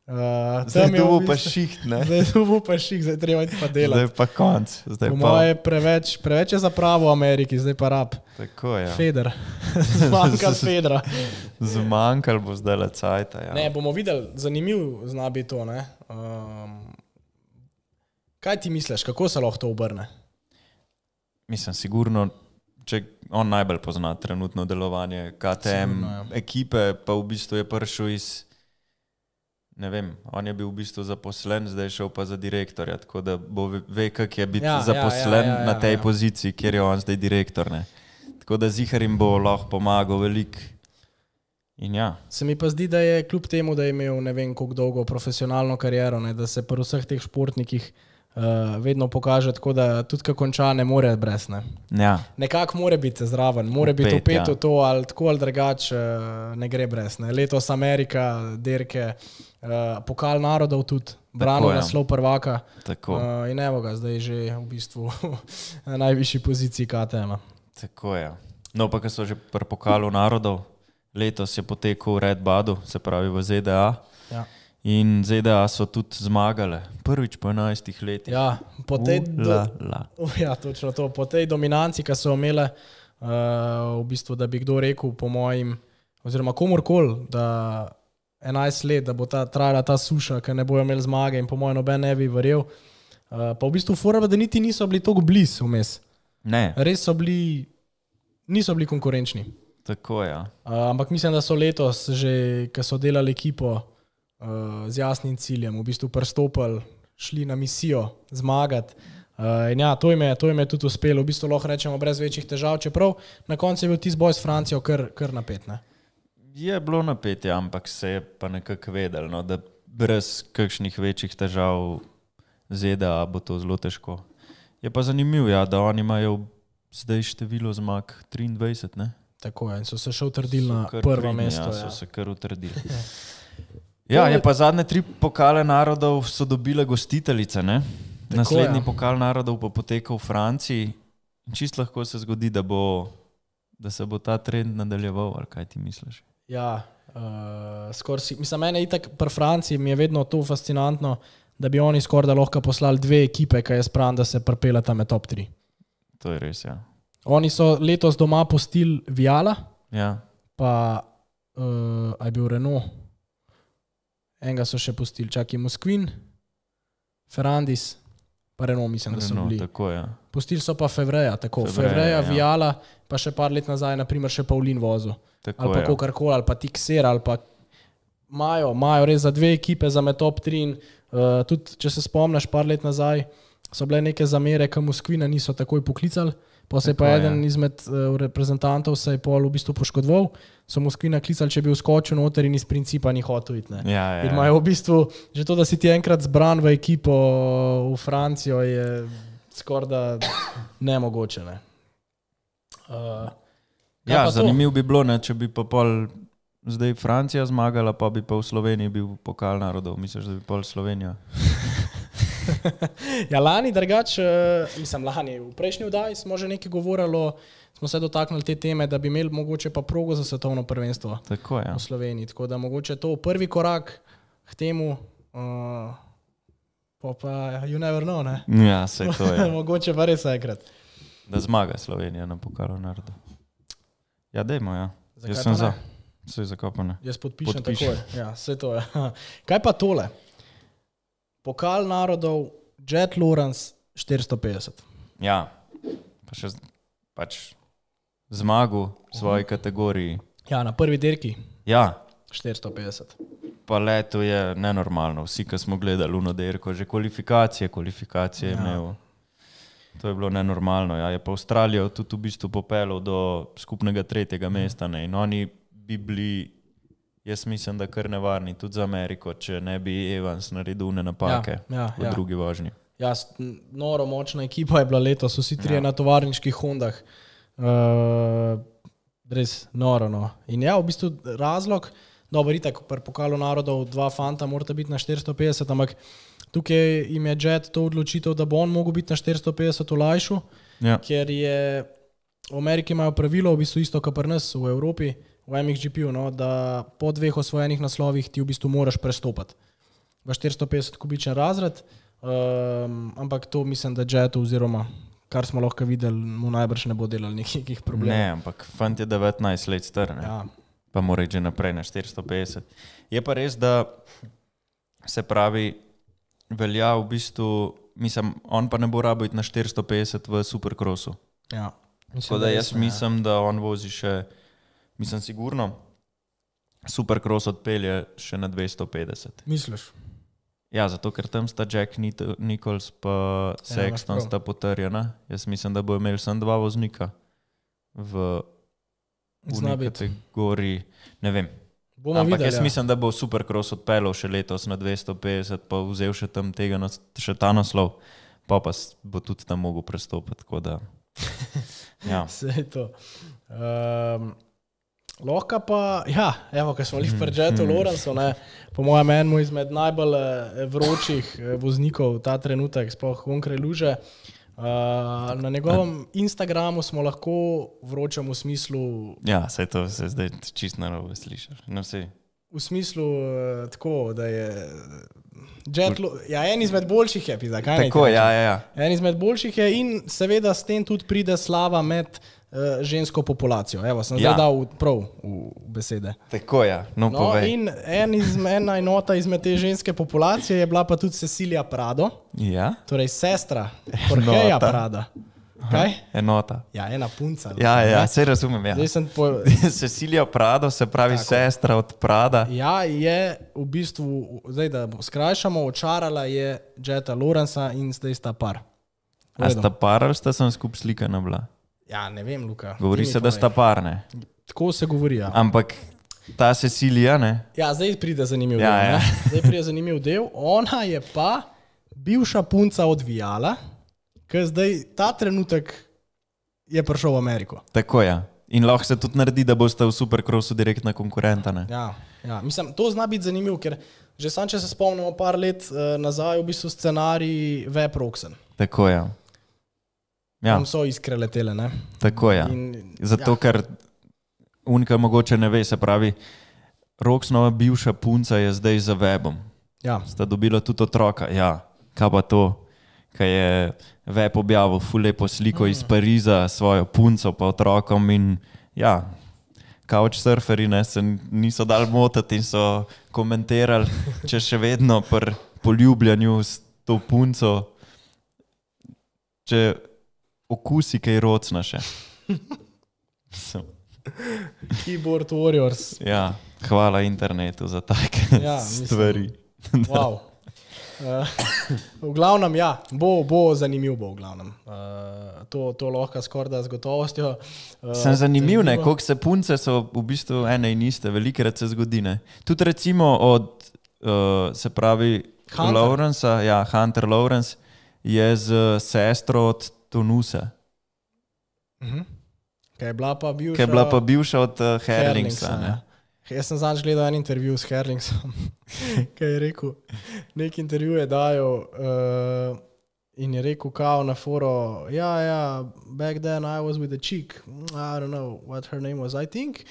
C: Uh,
B: Zdaj dobu pa šiht, ne?
C: Zdaj dobu pa ših, zdaj treba iti pa delati.
B: Zdaj pa konc. Zdaj
C: Po
B: pa...
C: moje preveč, preveč je zapravo v Ameriki, zdaj pa rab.
B: Tako je. Ja.
C: Feder. Zmanjkal Fedra.
B: Zmanjkal bo zdaj le cajta, ja.
C: Ne, bomo videli, zanimiv zna biti to. Ne? Um, kaj ti misliš, kako se lahko to obrne?
B: Mislim, sigurno, če on najbolj pozna trenutno delovanje K T M
C: Sigurno, ja.
B: ekipe, pa v bistvu je prišel iz, ne vem, on je bil v bistvu zaposlen, zdaj je šel pa za direktorja, tako da bo ve- ve, kak je biti
C: Ja,
B: ja,
C: ja,
B: zaposlen
C: ja, ja, ja,
B: na tej
C: ja.
B: poziciji, kjer je on zdaj direktor, ne. Tako da zihar jim bo lahko pomagal veliko. In ja,
C: Se mi pa zdi, da je kljub temu, da je imel ne vem koliko dolgo profesionalno kariero, ne, da se pri vseh teh športnikih uh, vedno pokaže tako, da tudi ko konča, ne more brez. Ne.
B: ja,
C: Nekako mora biti zraven, mora biti
B: Vpet,
C: upet v
B: ja.
C: to, ali tako ali drugače uh, ne gre brez. Ne. Letos Amerika, dirke, uh, pokal narodov tudi, branil
B: ja.
C: naslov prvaka.
B: tako,
C: Uh, in evo ga, zdaj je že v bistvu na najvišji poziciji K T M-a.
B: tako je. No, pa ko so že pri pokalu narodov, letos je potekel v Red Budu, se pravi v Z D A.
C: Ja.
B: In Z D A so tudi zmagale, prvič po enajstih letih.
C: Ja, po tej, do,
B: La, la.
C: uh, ja, točno to, po tej dominanci, ki so imele, uh, v bistvu, da bi kdo rekel, po mojim, oziroma komorkoli, da enajst let, da bo ta, trajala ta suša, ker ne bojo imeli zmage in po mojem noben ne bi verjel. Uh, pa v bistvu fora, da niti niso bili tako blizu vmes.
B: Ne,
C: Res so bili, niso bili konkurenčni.
B: tako je. Ja.
C: Uh, ampak mislim, da so letos že, ko so delali ekipo uh, z jasnim ciljem, v bistvu pristopili, šli na misijo zmagati. Uh, in ja, to jim, je, to jim je tudi uspelo, v bistvu lahko rečemo brez večjih težav, čeprav na koncu je bil tisti boj s Francijo kar, kar napet. Ne?
B: Je bilo napetje, ampak se je pa nekako vedelo, no, da brez kakšnih večjih težav Z D A bo to zelo težko. Je pa zanimivo, ja, da oni imajo zdaj število zmag triindvajset, ne?
C: Tako je, in so se še utrdili na
B: So kar
C: prvo
B: pridni,
C: mesto.
B: Ja,
C: Ja.
B: so se kar utrdili. Ja, je pa zadnje tri pokale narodov so dobile gostiteljice, ne?
C: Tako,
B: Naslednji
C: ja.
B: pokal narodov pa potekal v Franciji. In čisto lahko se zgodi, da, bo, da se bo ta trend nadaljeval, ali kaj ti misliš?
C: Ja, uh, skoraj si, mislim, mene itak pri Franciji mi je vedno to fascinantno, da bi oni skoraj da lahko poslali dve ekipe, ki je spravno, da se pripelata med top tri.
B: To je res, ja.
C: Oni so letos doma pustili Viala,
B: Ja,
C: pa uh, je bil Renault, enega so še pustili, čakaj Moskvin, Ferrandis, pa Renault mislim, da so
B: no,
C: bili.
B: tako je.
C: Pustili so pa Fevreja, tako,
B: Fevreja,
C: Fevreja,
B: ja.
C: Viala, pa še par let nazaj, naprimer še Paulin vozil.
B: Tako
C: Ali pa
B: je.
C: kogarkoli, ali pa Tixer, ali pa imajo, imajo res za dve ekipe za med top tri. In, uh, tudi, če se spomniš, par let nazaj so bile neke zamere, ki Moskvina niso takoj poklicali, pa se je pa
B: Tako,
C: eden
B: ja.
C: izmed uh, reprezentantov se je pol v bistvu poškodoval, so Moskvina klicali, če bi vskočil noter in iz principa ni hotel iti. Ne.
B: Ja, ja.
C: In imajo v bistvu, že to, da si ti enkrat zbran v ekipo v Francijo, je skoraj da nemogoče. Ne. Uh,
B: Ja, zanimivo bi bilo, ne, če bi pa pol zdaj Francija zmagala, pa bi pa v Sloveniji bil pokal narodov. Misliš, da bi pol Slovenija?
C: Ja, lani drugače, uh, mislim lani, v prejšnji vdaji smo že nekaj govorili, smo se dotaknili te teme, da bi imeli mogoče pa progo za svetovno prvenstvo
B: Tako, ja.
C: v Sloveniji. Tako da mogoče to prvi korak k temu, uh, pa pa you never know, ne?
B: Ja, sej to je.
C: Mogoče pa res enkrat.
B: Da zmaga Slovenija na pokalu narodov. Ja, dejmo, ja.
C: Zakaj
B: Jaz
C: pa
B: sem
C: ne?
B: za. Vse je zakopane.
C: Jaz podpišem,
B: Podpišem.
C: takoj. Ja, vse to je. Kaj pa tole? Pokal narodov, Jet Lawrence štiristo petdeset.
B: Ja, pa še z- pač zmagu v svoji kategoriji.
C: Ja, na prvi dirki
B: Ja,
C: štiristo petdeset.
B: pa leto je nenormalno. Vsi, ki smo gledali Luno Derko, že kvalifikacije, kvalifikacije je
C: Ja.
B: imel. To je bilo nenormalno. Ja. Je pa Avstralijo tudi v bistvu popeljal do skupnega tretjega mesta. Ne. In oni bi bili, jaz mislim, da kar nevarni tudi za Ameriko, če ne bi Evans naredil ne napake
C: Ja, ja,
B: v
C: ja.
B: drugi vožnji.
C: Ja, s- n- noro močna ekipa je bila letos, vsi trije
B: Ja.
C: na tovarniških Hondah. Uh, res noro. No. In ja, v bistvu razlog, dobro, itak, pri pokalu narodov dva fanta morata biti na štiristo petdeset, ampak tukaj jim je Jet to odločitev, da bo on mogel biti na štiristo petdeset olajšal,
B: Ja.
C: ker je v Ameriki imajo pravilo, v bistvu isto, kot pri nas v Evropi, v M X G P-ju, no, da po dveh osvojenih naslovih ti v bistvu moraš prestopati v štiristo petdeset kubičen razred, um, ampak to mislim, da Jetu oziroma kar smo lahko videli, mu najbrž ne bo delal nekih problemov.
B: Ne, ampak fant je devetnajst let star, ne.
C: Ja.
B: Pa mora iti že naprej na štiristo petdeset. Je pa res, da se pravi, velja v bistvu, mislim, on pa ne bo rabil iti na štiristo petdeset v Supercrossu.
C: Ja.
B: Tako da jaz mislim, da on vozi še, mislim sigurno, Supercross odpelje še na dvesto petdeset.
C: Misliš?
B: Ja, zato ker tam sta Jack Nit- Nichols pa Sexton
C: imaš prav.
B: sta potrjena. Jaz mislim, da bo imel samo dva voznika v
C: Zna
B: uni
C: biti.
B: kategoriji, ne vem.
C: Bomo
B: Ampak
C: videli,
B: jaz
C: ja.
B: mislim, da bo Supercross odpeljal še letos na dvesto petdeset, pa vzel še tam tega, nas- še ta naslov, pa pa s- bo tudi tam mogel prestopiti, tako da. Ja.
C: Vse je to. Um, lahko pa, ja, evo, ko smo jih pri Jetu Lawrenceu, ne, po mojem enemu izmed najbolj eh, vročih eh, voznikov ta trenutek, sploh onkraj luže. Uh, na njegovem Instagramu smo lahko vročem v smislu,
B: Ja, saj to se zdaj čisto narobe slišiš. No, sej.
C: v smislu uh, tako, da je Jet, Lo- ja, en izmed boljših je, pizda, kaj naj ti
B: Tako,
C: rečem?
B: ja, ja, ja.
C: En izmed boljših je in seveda s tem tudi pride slava med uh, žensko populacijo. Evo, sem zdaj
B: Ja.
C: dal v- prav v besede.
B: Tako, ja. No,
C: No,
B: povej.
C: in en izme, ena enota izmed te ženske populacije je bila pa tudi Cecilija Prado,
B: Ja?
C: torej sestra Jorgeja
B: Enota.
C: Prada. Kaj?
B: Enota.
C: Ja, ena punca.
B: Ja, ja,
C: ne?
B: sej razumem, ja.
C: Zdaj sem po,
B: Cecilija Prado, se pravi
C: Tako.
B: sestra od Prada.
C: ja, je v bistvu, zdaj da skrajšamo, očarala je Jeta Lawrencea in zdaj sta par. V
B: A
C: redu.
B: sta par ali sta sem skup slikana bila?
C: Ja, ne vem, Luka.
B: Govori
C: ti mi
B: se, da
C: povej.
B: sta par, ne?
C: Tako se govori, ja.
B: Ampak ta Cecilija, ne?
C: Ja, zdaj pride zanimiv
B: Ja,
C: del.
B: ja.
C: Ne? Zdaj pride zanimiv del. Ona je pa bivša punca odvijala, ker zdaj ta trenutek je prišel v Ameriko.
B: Tako, ja. In lahko se tudi naredi, da boste v Supercrossu direktna konkurenta, ne?
C: Ja, ja. Mislim, to zna biti zanimivo, ker že sam, če se spomnimo par let uh, nazaj, v bistvu scenarij Web Roxen.
B: Tako, ja. Ja,
C: Tam so iskre letele, ne?
B: tako, ja.
C: In,
B: Zato, ker unika mogoče ne ve, se pravi, Roxnova bivša punca je zdaj za webom.
C: Ja,
B: Sta dobila tudi otroka, ja. Kaj pa to, kaj je web objavil ful lepo sliko iz Pariza s svojo punco pa otrokom in ja, couchsurferi ne, se niso dali motiti in so komentirali, če še vedno pri poljubljanju s to punco, če okusi kaj rocna še. So,
C: Keyboard Warriors.
B: ja, hvala internetu za take
C: Ja, mislim-
B: stvari.
C: Wow. Uh, v glavnem, ja, bo, bo zanimiv bo v glavnem. Uh, to, to lahko skorda z gotovostjo. Uh,
B: Sem zanimiv, ne, koliko se punce so v bistvu ene in iste, velikrat se zgodi, ne. Tudi recimo od, uh, se pravi,
C: Hunter.
B: Lawrencea, ja, Hunter Lawrence je z sestro od Tonusa,
C: uh-huh. Kaj je bila pa bivša,
B: ki je bila pa bivša od uh, Herlingsa,
C: Herlingsa,
B: ne.
C: ja. Jaz sem zadnjič gledal en intervju s Herlingsom, kaj je rekel, nek intervju je dajal uh, in je rekel kao na foro, ja, ja, back then I was with a chick, I don't know what her name was, I think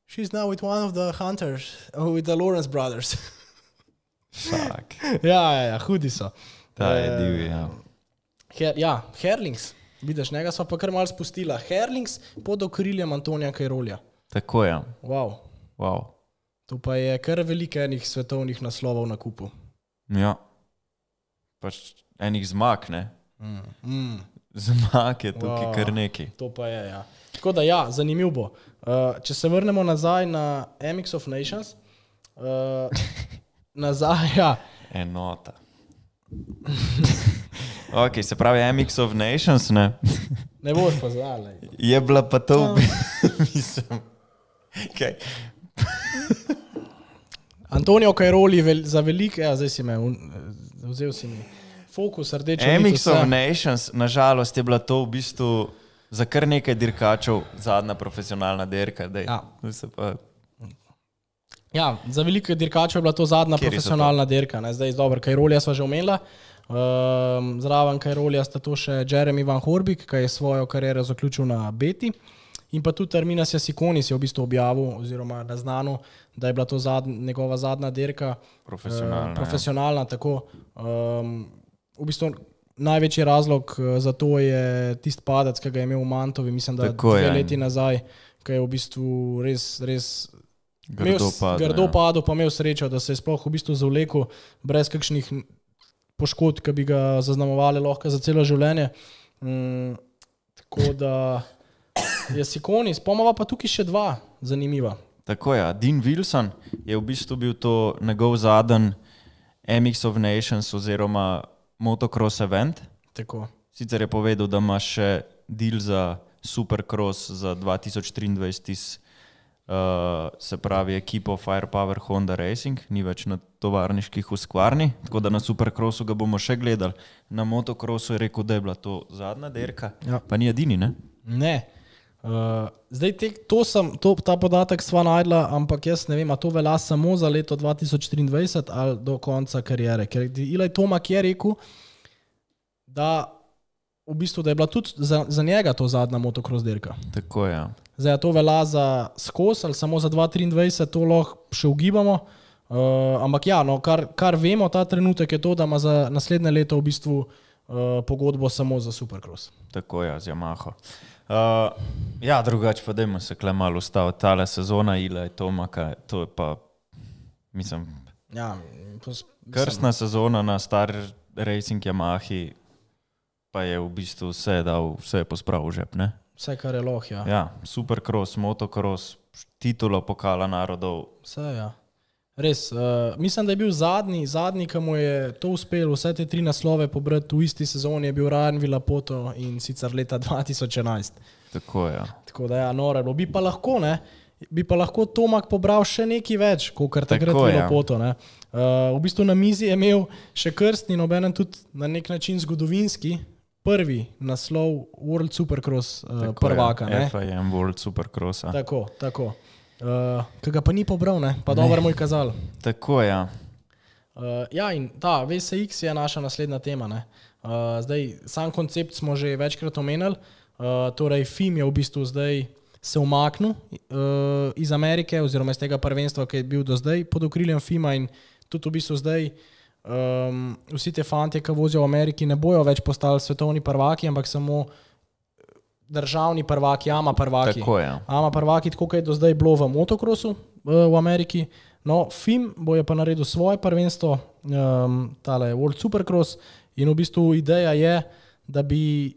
C: she's now with one of the hunters, oh, with the Lawrence brothers.
B: Fuck.
C: ja, ja, ja, hudi so.
B: Ta je divji, ja.
C: Her, ja, Herlings, vidiš, njega smo pa kar malo spustila. Herlings pod okriljem Antonija Cairolija.
B: Tako je.
C: Wow.
B: Wow.
C: To pa je kar veliko enih svetovnih naslovov na kupu.
B: Ja. Pač enih zmag, ne?
C: Mm. Mm.
B: Zmag je tukaj
C: Wow.
B: kar neki.
C: To pa je, ja. Tako da ja, zanimiv bo. Uh, če se vrnemo nazaj na M X of Nations, uh, nazaj, ja.
B: Enota. Ok, se pravi M X of Nations, ne?
C: Ne boš pa znala.
B: Je bila pa to, mislim, kaj?
C: Antonijo Cairoli vel, za veliko, ja, zdaj si me, un, vzel si mi fokus, rdečo
B: M
C: nit,
B: X
C: vse.
B: of Nations, nažalost je bila to v bistvu za kar nekaj dirkačev zadnja profesionalna dirka. Dej.
C: Ja.
B: Se pa,
C: Ja, za veliko dirkačev je bila to zadnja
B: Kateri so
C: profesionalna dirka. Ne? Zdaj, dobro, Cairolija sva že omenila. Um, zraven Cairolija sta to še Jeremy Van Horbik, ki je svojo kariero zaključil na Beti. In pa tudi Arminas Jasikonis je v bistvu objavil oziroma naznanil, da je bila to zadnja, njegova zadnja dirka.
B: Profesionalna,
C: Uh, profesionalna, ja. Tako. Um, v bistvu največji razlog uh, za to je tisti padec, ki ga je imel v Mantovi, mislim, da
B: Tako
C: dve
B: je.
C: leti nazaj, ki je v bistvu res, res
B: grdo padel,
C: grdo
B: ja.
C: padel, pa imel srečo, da se je sploh v bistvu zavlekel brez kakšnih poškodb, ki bi ga zaznamovali lahko za celo življenje. Mm, tako da je Sikonis, pomava pa tukaj še dva zanimiva.
B: Tako je, Dean Wilson je v bistvu bil to njegov zadnji M X of Nations oziroma motocross event.
C: Tako.
B: Sicer je povedal, da ima še deal za Supercross za dva tisoč triindvajset iz, uh, se pravi, ekipo Firepower Honda Racing, ni več na tovarniških v Skvarni, tako da na Supercrossu ga bomo še gledali. Na motocrossu je rekel, da je bila to zadnja dirka,
C: Ja.
B: pa ni edini, ne?
C: Ne. Uh, zdaj, te, to sem, to, ta podatek sva najdla, ampak jaz ne vem, a to velja samo za leto dva tisoč triindvajset ali do konca karijere. Ker Eli Tomac je rekel, da v bistvu da je bila tudi za, za njega to zadnja motocross dirka.
B: Tako je.
C: Zdaj, a to velja za skos ali samo za dva tisoč triindvajset, to lahko še ugibamo. Uh, ampak ja, no, kar, kar vemo ta trenutek je to, da ima za naslednje leto v bistvu uh, pogodbo samo za Supercross.
B: Tako je, z Yamaho. Uh, ja, drugače pa dajmo se kle malo ustaviti. Tale sezona Ila je Tomaka, to je pa, mislim,
C: Ja, pos,
B: krstna sezona na star Racing Yamahi, pa je v bistvu vse dal, vse je pospravil žep, ne?
C: Vse, kar je loh, ja.
B: Ja, Supercross, motocross, titulo pokala narodov.
C: Vse, ja. Res, uh, mislim, da je bil zadnji, zadnji, ki mu je to uspelo, vse te tri naslove pobrati v isti sezoni, je bil Ryan Villapoto in sicer leta dva tisoč enajst.
B: Tako je. Ja.
C: Tako da ja, noro je bilo. Bi pa lahko, ne, bi pa lahko Tomac pobral še nekaj več, kot kar takrat
B: Tako je, ja.
C: Villapoto, ne. Uh, v bistvu na mizi je imel še krstni, nobenem tudi na nek način zgodovinski, prvi naslov World Supercross uh,
B: Tako
C: prvaka,
B: je.
C: ne.
B: F I M World Supercrossa.
C: Tako, tako. Uh, ki ga pa ni pobral, ne, pa dobro mu je kazal.
B: Tako je. Ja.
C: Uh, ja, in ta V S X je naša naslednja tema. Ne? Uh, zdaj, sam koncept smo že večkrat omenili. Uh, torej, F I M je v bistvu zdaj se umaknil uh, iz Amerike oziroma iz tega prvenstva, ki je bil do zdaj pod okriljem F I M-a in tudi v bistvu zdaj um, vsi te fantje, ki vozijo v Ameriki, ne bojo več postali svetovni prvaki, ampak samo državni prvaki, ama prvaki.
B: Tako je.
C: Ama prvaki, tako kot je do zdaj bilo v motocrossu v Ameriki. No, F I M bo je pa naredil svoje prvenstvo, um, tale World Supercross, in v bistvu ideja je, da bi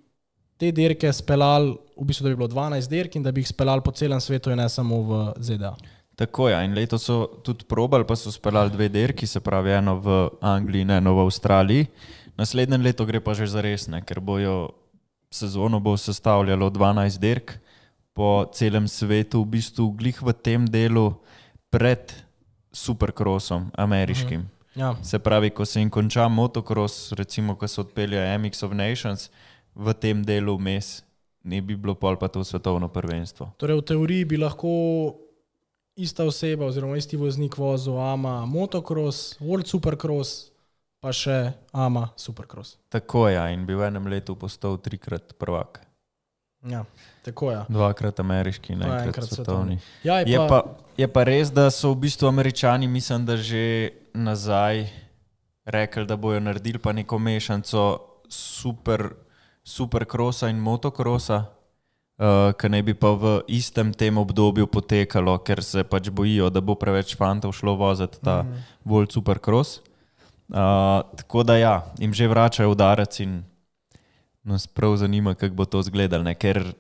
C: te dirke speljali, v bistvu da bi bilo dvanajst dirk in da bi jih speljali po celem svetu in ne samo v Z D A.
B: Tako je, ja. In letos so tudi probali, pa so speljali dve dirki, se pravi eno v Angliji in eno v Avstraliji. Naslednje leto gre pa že za resne, ker bojo sezono bo sestavljalo dvanajst dirk po celem svetu, v bistvu glih v tem delu pred supercrossom ameriškim. Mhm.
C: Ja.
B: Se pravi, ko se jim konča motocross, recimo, ko se odpelja M X of Nations, v tem delu vmes ne bi bilo pol pa to svetovno prvenstvo.
C: Torej v teoriji bi lahko ista oseba oziroma isti voznik vozil A M A motocross, World Supercross, pa še A M A Supercross.
B: Tako je, ja, in bi v enem letu postal trikrat prvak.
C: Ja, tako je.
B: Dvakrat ameriški in enkrat,
C: enkrat
B: svetovni.
C: svetovni. Ja, je,
B: je,
C: pa...
B: pa, je pa res, da so v bistvu Američani, mislim, da že nazaj rekli, da bojo naredili pa neko mešanco super, supercrossa in motocrossa, uh, ki naj bi pa v istem tem obdobju potekalo, ker se pač bojijo, da bo preveč fantov šlo voziti ta mm-hmm. World Supercross. Uh, tako da ja, jim že vračajo udarec in nas prav zanima, kako bo to izgledalo, ne? Ker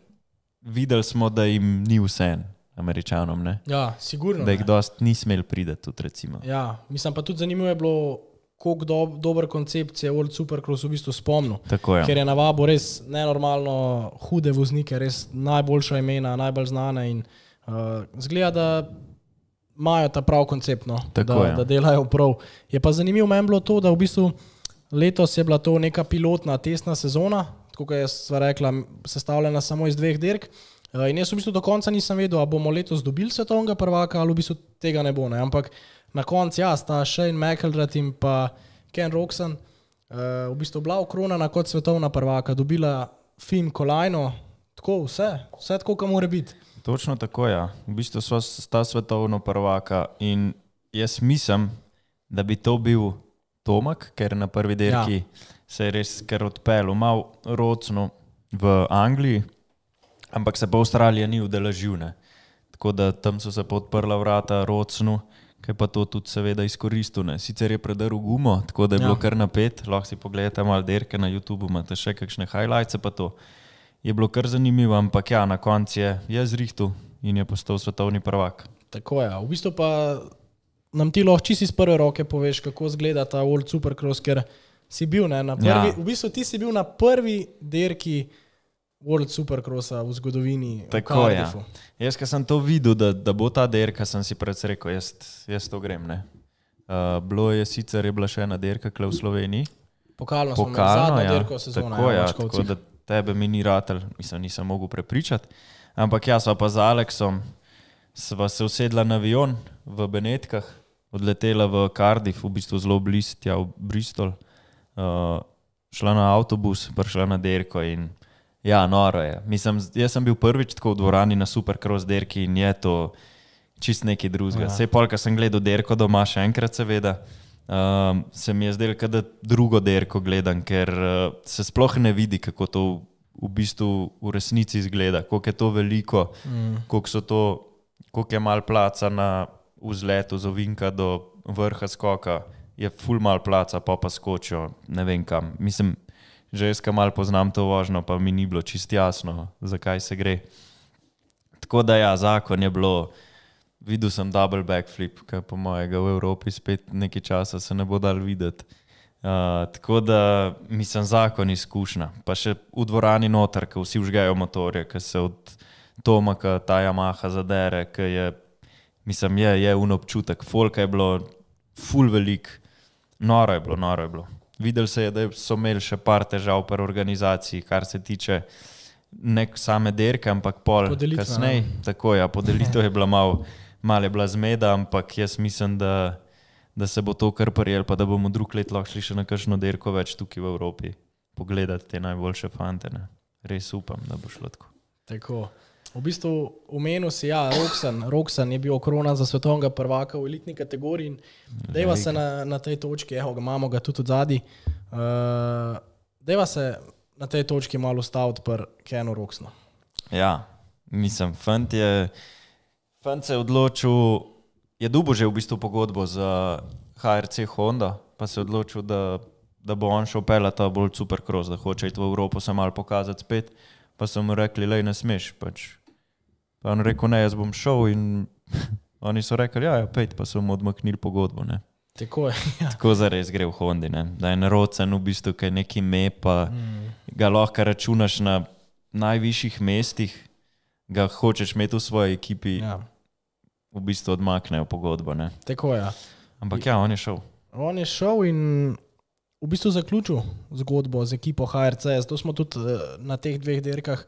B: videli smo, da jim ni vse Američanom, ne?
C: Ja, sigurno.
B: Da jih dost ni smel prideti tudi, recimo.
C: Ja, mislim pa tudi zanimivo je bilo, koliko do, dober koncept je World Supercross v bistvu spomnil.
B: Tako je.
C: Ker je navabo res nenormalno hude voznike, res najboljša imena, najbolj znane in uh, zgleda, da imajo ta prav koncept, no, da, da delajo prav. Je pa zanimivo meni bilo to, da v bistvu letos je bila to neka pilotna testna sezona, tako kot je sva rekla, sestavljena samo iz dveh dirk. In jaz v bistvu do konca nisem vedel, a bomo letos dobili svetovnega prvaka ali v bistvu tega ne bo. Ne? Ampak na koncu ja, sta Shane McElrath in pa Ken Roczen v bistvu bila okronana kot svetovna prvaka, dobila Finn kolajno, tako vse, vse tako, kot mora biti.
B: Točno tako, ja. V bistvu so sta svetovno prvaka in jaz mislim, da bi to bil Tomak, ker na prvi dirki ja. se je res kar odpeljal malo Rocnu v Angliji, ampak se pa Avstralija ni udeležil, ne. Tako da tam so se pa odprla vrata Rocnu, ki pa to tudi seveda izkoristil, ne. Sicer je predrl gumo, tako da je bilo ja. kar napet, lahko si pogledate malo dirke na YouTube, imate še kakšne highlights, pa to je bilo kar zanimivo, ampak ja, na koncu je, je zrihtu in je postal svetovni prvak.
C: Tako je, v bistvu pa nam ti lahko čisto iz prve roke poveš, kako izgleda ta World Supercross, ker si bil, ne, na prvi, ja. v bistvu ti si bil na prvi dirki World Supercrossa v zgodovini.
B: Tako je. Ja. Jaz, ko sem to videl, da, da bo ta dirka, sem si pred rekel, jaz, jaz to grem, ne. Uh, bilo je sicer, je bila še ena dirka kle v Sloveniji.
C: Pokalno, Pokalno smo imeli zadnjo ja. dirko sezona.
B: Tako,
C: ja,
B: ja, tako da tebe mi ni ratelj, mislim, nisem mogel prepričati. Ampak ja, sva pa z Aleksom, sva se usedla na avion v Benetkah, odletela v Cardiff, v bistvu zelo blizu tja v Bristol, uh, šla na avtobus, prišla na dirko in ja, noro je. Mislim, jaz sem bil prvič tako v dvorani na Supercross dirki in je to čist nekaj drugega. Ja. Sej pol, ko sem gledal dirko doma še enkrat seveda, um, se mi je zdelo, da drugo dirko gledam, ker uh, se sploh ne vidi, kako to v bistvu v resnici izgleda, koliko je to veliko, mm. koliko so to, koliko je malo placa na vzletu z ovinka do vrha skoka, je ful malo placa, pa pa skočijo, ne vem kam. Mislim, že jaz ka malo poznam to vožnjo, pa mi ni bilo čist jasno, zakaj se gre. Tako da ja, zakon je bilo, videl sem double backflip, kaj po mojega v Evropi spet nekaj časa se ne bo dal videti. Uh, tako da, mislim, zakon izkušnja. Pa še v dvorani noter, ko vsi vžgajo motorje, ko se od Tomaka ta Yamaha zadere, ko je, mislim, je, je un občutek. Folka je bilo ful velik, noro je bilo, noro je bilo. Videli se je, da so imeli še par težav pri organizaciji, kar se tiče nek same dirke, ampak pol kasneje. Tako ja, podelitev je bila malo, malo je bila zmeda, ampak jaz mislim, da, da se bo to kar prijel, pa da bomo drug let lahko šli še na kakšno dirko več tukaj v Evropi. Pogledati te najboljše fante, ne. Res upam, da bo šlo tako.
C: Tako. V bistvu omenil si, ja, Roczen, Roczen je bil okronan za svetovnega prvaka v elitni kategoriji in dejva se na, na tej točki, evo ga, imamo ga tudi od zadaj, uh, dejva se na tej točki malo staviti pri Kenu Rocznu.
B: Ja, mislim, fant je, fant se je odločil, je dubo že v bistvu pogodbo za H R C Honda, pa se je odločil, da, da bo on šel peljati ta bolj Supercross, da hoče iti v Evropo se malo pokazati spet, pa so mu rekli, lej, ne smeš, pač. Pa on rekel, ne, jaz bom šel in Oni so rekli, ja, ja pejt, pa so mu odmaknili pogodbo, ne.
C: Tako je, ja.
B: Tako zares gre v Hondi, ne. Da je narocen v bistvu, kaj neki me, pa mm. ga lahko računaš na najvišjih mestih, ga hočeš imeti v svoji ekipi, ja. V bistvu odmaknejo pogodbo, ne.
C: Tako je, ja.
B: Ampak ja, on je šel.
C: On je šel in v bistvu zaključil zgodbo z ekipo H R C. Zato smo tudi na teh dveh dirkah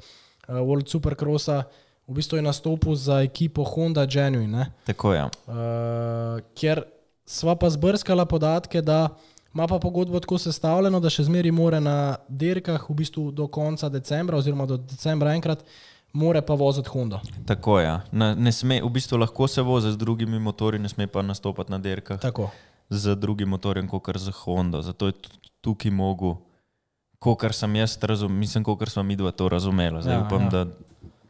C: World Supercrossa v bistvu je nastopil za ekipo Honda Genuine, ne.
B: Tako je.
C: Uh, ker sva pa zbrskala podatke, da ima pa pogodbo tako sestavljeno, da še zmeri more na dirkah v bistvu do konca decembra oziroma do decembra enkrat more pa voziti Honda.
B: Tako je. Na, ne sme, v bistvu lahko se vozi z drugimi motorji, ne sme pa nastopati na dirkah.
C: Tako.
B: Z drugim motorjem, kakor z Honda. Zato je tukaj mogu, kakor sem jaz razumel, mislim, kakor smo mi dva to razumela. Zdaj ja, upam, ja. da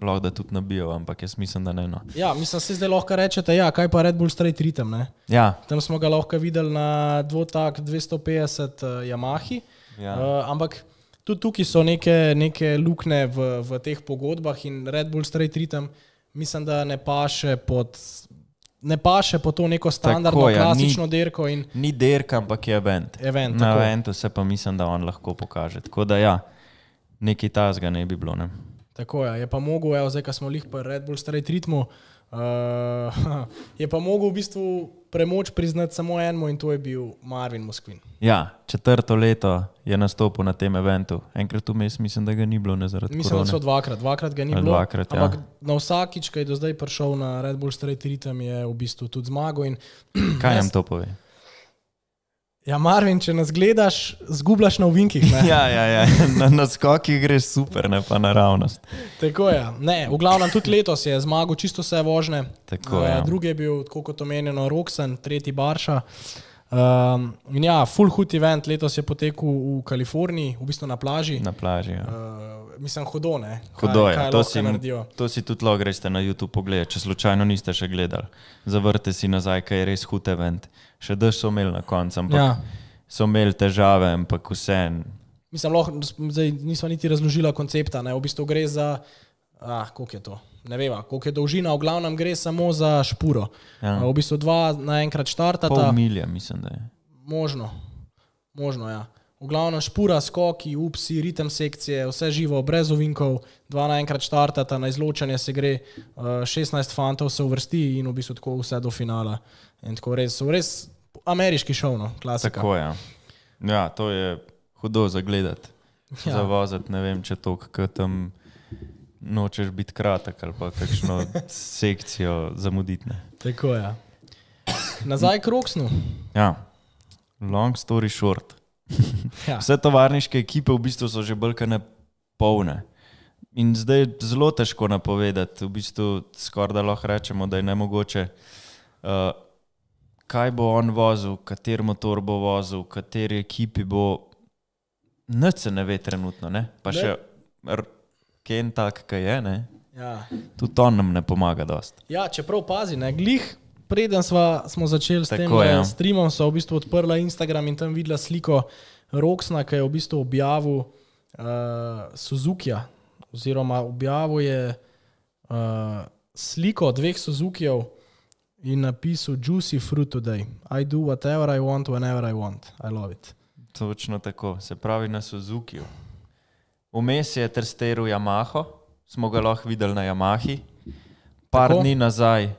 B: lahko da tudi nabijo, ampak jaz mislim, da ne. No.
C: Ja, mislim, se zdaj lahko rečete, ja, kaj pa Red Bull Straight Rhythm, ne?
B: Ja.
C: Tam smo ga lahko videli na dvotak dvesto petdeset uh, Yamahi,
B: ja.
C: uh, ampak tudi tukaj so neke, neke lukne v, v teh pogodbah in Red Bull Straight Rhythm mislim, da ne paše pod... Ne paše po to neko standardno, tako, ja, klasično
B: ni,
C: dirko. In
B: ni dirka, ampak je event.
C: event
B: Na eventu se pa mislim, da on lahko pokaže. Tako da ja, nekaj tazga ne bi bilo. Ne?
C: Tako je, je pa mogel, evo, zdaj, ko smo lih pa Red Bull Straight Rhythmu, uh, je pa mogel v bistvu premoč priznati samo enemu in to je bil Marvin Musquin.
B: Ja, četrto leto je nastopil na tem eventu. Enkrat vmes mislim, da ga ni bilo, ne zaradi
C: mislim,
B: korone.
C: Mislim, da so dvakrat, dvakrat ga ni
B: Ali
C: bilo.
B: Dvakrat,
C: ampak
B: ja.
C: Na vsakič, ko je do zdaj prišel na Red Bull Straight Rhythm, je v bistvu tudi zmagal. In
B: kaj nam to pove?
C: Ja, Marvin, če nas gledaš, zgubljaš na ovinkih, ne?
B: ja, ja, ja. Na, na skokih greš super, ne pa naravnost.
C: Tako je. Ne, v glavnem tudi letos je zmagal čisto vse vožne.
B: Tako, ja.
C: Drugi je bil, tako kot omenjeno, Roxen, tretji Barša. Um, in ja, full hood event letos je potekel v Kaliforniji, v bistvu na plaži.
B: Na plaži, ja.
C: Uh, mislim, hudo, ne?
B: Hudo je.
C: Kaj, kaj
B: to, si, to si tudi lahko greste na YouTube pogledati, če slučajno niste še gledali. Zavrte si nazaj, kaj je res hud event. Še dež so imeli na koncu, ampak ja. so imeli težave, ampak vse.
C: Mislim, lahko, zdaj nismo niti razložila koncepta, ne? V bistvu gre za, ah, koliko je to? Ne veva, koliko je dolžina, v glavnem gre samo za špuro. Ja. V bistvu dva naenkrat štartata.
B: Pol milja, mislim, da je.
C: Možno, možno, ja. V glavnem špura, skoki, upsi, ritem sekcije, vse živo, brez ovinkov, dva naenkrat štartata, na izločanje se gre, šestnajst fantov se uvrsti in v bistvu tako vse do finala. In tako res, res ameriški šov, no, klasika.
B: Tako je. Ja, to je hudo za gledati, ja. Za voziti, ne vem, če to, kako tam nočeš biti kratek ali pa kakšno sekcijo zamuditi. Ne.
C: Tako je. Nazaj k Roxnu.
B: Ja, long story short.
C: Ja.
B: Vse tovarniške ekipe v bistvu so že bolj polne. In zdaj je zelo težko napovedati, v bistvu skoraj da lahko rečemo, da je nemogoče, uh, kaj bo on vozil, kater motor bo vozil, kateri ekipi bo, nič se ne ve trenutno, ne? Pa ne. Še Ken tak, kaj je, ne?
C: Ja.
B: Tudi on nam ne pomaga dost.
C: Ja, čeprav pazi, ne, glih, preden sva, smo začeli s
B: Tako,
C: tem
B: ja.
C: streamom, so v bistvu odprla Instagram in tam videla sliko Roxna, ki je v bistvu objavil uh, Suzukija, oziroma objavil je uh, sliko dveh Suzukijev in napisal Juicy fruit today. I do whatever I want, whenever I want. I love it.
B: Točno tako, se pravi na Suzukiju. Vmes je testiral Yamaho, smo ga lahko videli na Yamahi. Par tako? Dni nazaj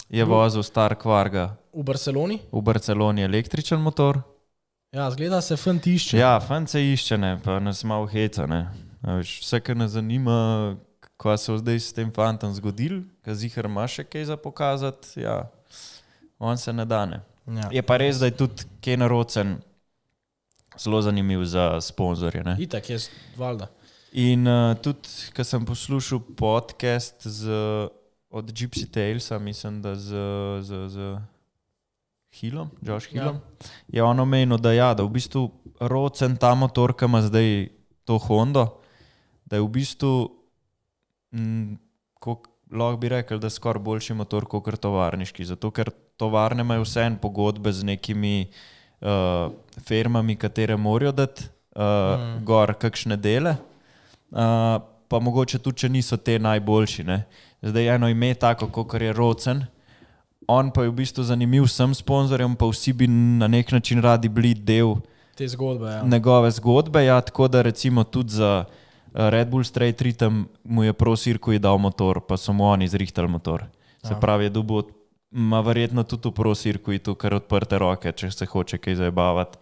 B: je vozil star Kvarga.
C: V Barceloni?
B: V Barceloni električen motor.
C: Ja, zgleda se fant išče.
B: Ja, fant se išče, ne, pa nas malo heca, ne. Vse, kar nas zanima, kaj se je zdaj s tem fantom zgodil, kaj zihar ima še kaj za pokazati, ja, on se ne dane. Ja. Je pa res, da je tudi Ken Rocen zelo zanimiv za sponzorje, ne.
C: Itak je, valjda.
B: In uh, tudi, ko sem poslušal podcast z, od Gypsy Talesa, mislim, da z, z, z Hillom, Josh Hillom, ja. Je on omenil, da ja, da v bistvu Rocen ta motor, ki ima zdaj to Hondo, da je v bistvu, m, kak, lahko bi rekel, da je skoraj boljši motor kot tovarniški, zato ker tovarne imajo vse en pogodbe z nekimi uh, firmami, katere morajo dati uh, mm. gor kakšne dele. Uh, pa mogoče tudi, če niso te najboljši. Ne? Zdaj eno ime tako, kot je Rocen, on pa je v bistvu zanimiv vsem sponzorjem, pa vsi bi na nek način radi bili del
C: te zgodbe. Ja.
B: Njegove zgodbe, ja, tako da recimo tudi za Red Bull Straight Rhythm mu je Pro Circuit dal motor, pa so mu oni zrihtali motor. Se ja. pravi, je dobil, ima verjetno tudi v Pro Circuitu kar odprte roke, če se hoče kaj zajebavati.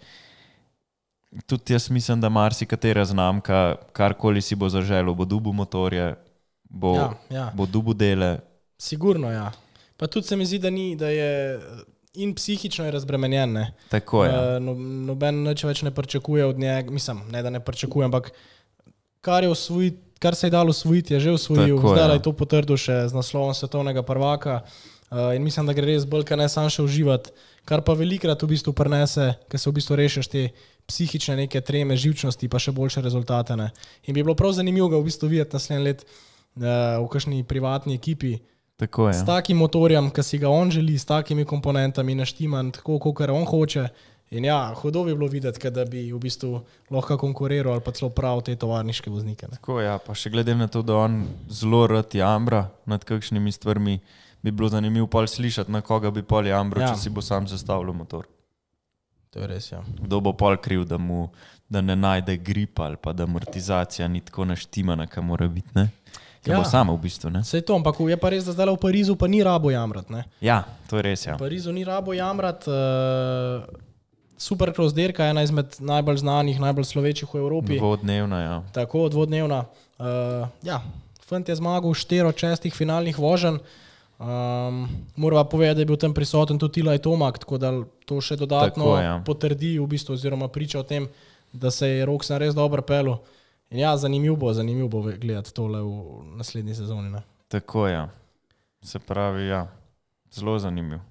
B: Tudi jaz mislim, da marsikatera znamka, karkoli si bo zaželil, bo dobil motorje, bo,
C: ja, ja.
B: bo dobil dele.
C: Sigurno, ja. Pa tudi se mi zdi, da, ni, da je in psihično je razbremenjen. Ne?
B: Tako je.
C: Uh, no, noben nič več ne pričakuje od njega, mislim, ne da ne pričakuje, ampak kar, je osvojit, kar se je dalo osvojiti, je že osvojil. Tako zdaj je to potrdil še z naslovom svetovnega prvaka uh, in mislim, da gre res bolj, kar ne sam še uživati, kar pa velikrat v bistvu prinese, ker se v bistvu rešiš te psihične neke treme, živčnosti, pa še boljše rezultate. Ne? In bi bilo prav zanimivo ga v bistvu videti naslednji let uh, v kakšni privatni ekipi.
B: Tako je.
C: S takim motorjem, ki si ga on želi, s takimi komponentami naštiman, tako, kot on hoče. In ja, hudo bi bilo videti, da bi v bistvu lahko konkuriral ali pa celo prav te tovarniške voznike. Ne?
B: Tako ja, pa še glede na to, da on zelo rad jambra nad kakšnimi stvarmi, bi bilo zanimivo pol slišati, na koga bi pol jambral, ja. če si bo sam sestavljal motor.
C: To je res, ja.
B: Kdo bo pol kriv, da mu da ne najde grip ali pa da amortizacija ni tako naštimana, kaj mora biti, ne? Kaj ja. bo samo v bistvu, ne?
C: Sej to, ampak je pa res, da zdaj v Parizu pa ni rabo jamrat, ne?
B: Ja, to je res, ja.
C: V Parizu ni rabo jamrat, uh, Supercross dirka je ena izmed najbolj znanih, najbolj slovečih v Evropi.
B: Dvodnevna, ja.
C: Tako, dvodnevna. Uh, ja, fant je zmagal štiri od šestih finalnih voženj. Um, Morava povedati, da je bil tam prisoten tudi Tilaj Tomak, tako da to še dodatno tako, ja. potrdi v bistvu, oziroma priča o tem, da se je Roxen res dobro pelil. In ja, zanimiv bo, zanimiv bo gledati tole v naslednji sezoni. Ne?
B: Tako je. Ja. Se pravi, ja, zelo zanimiv.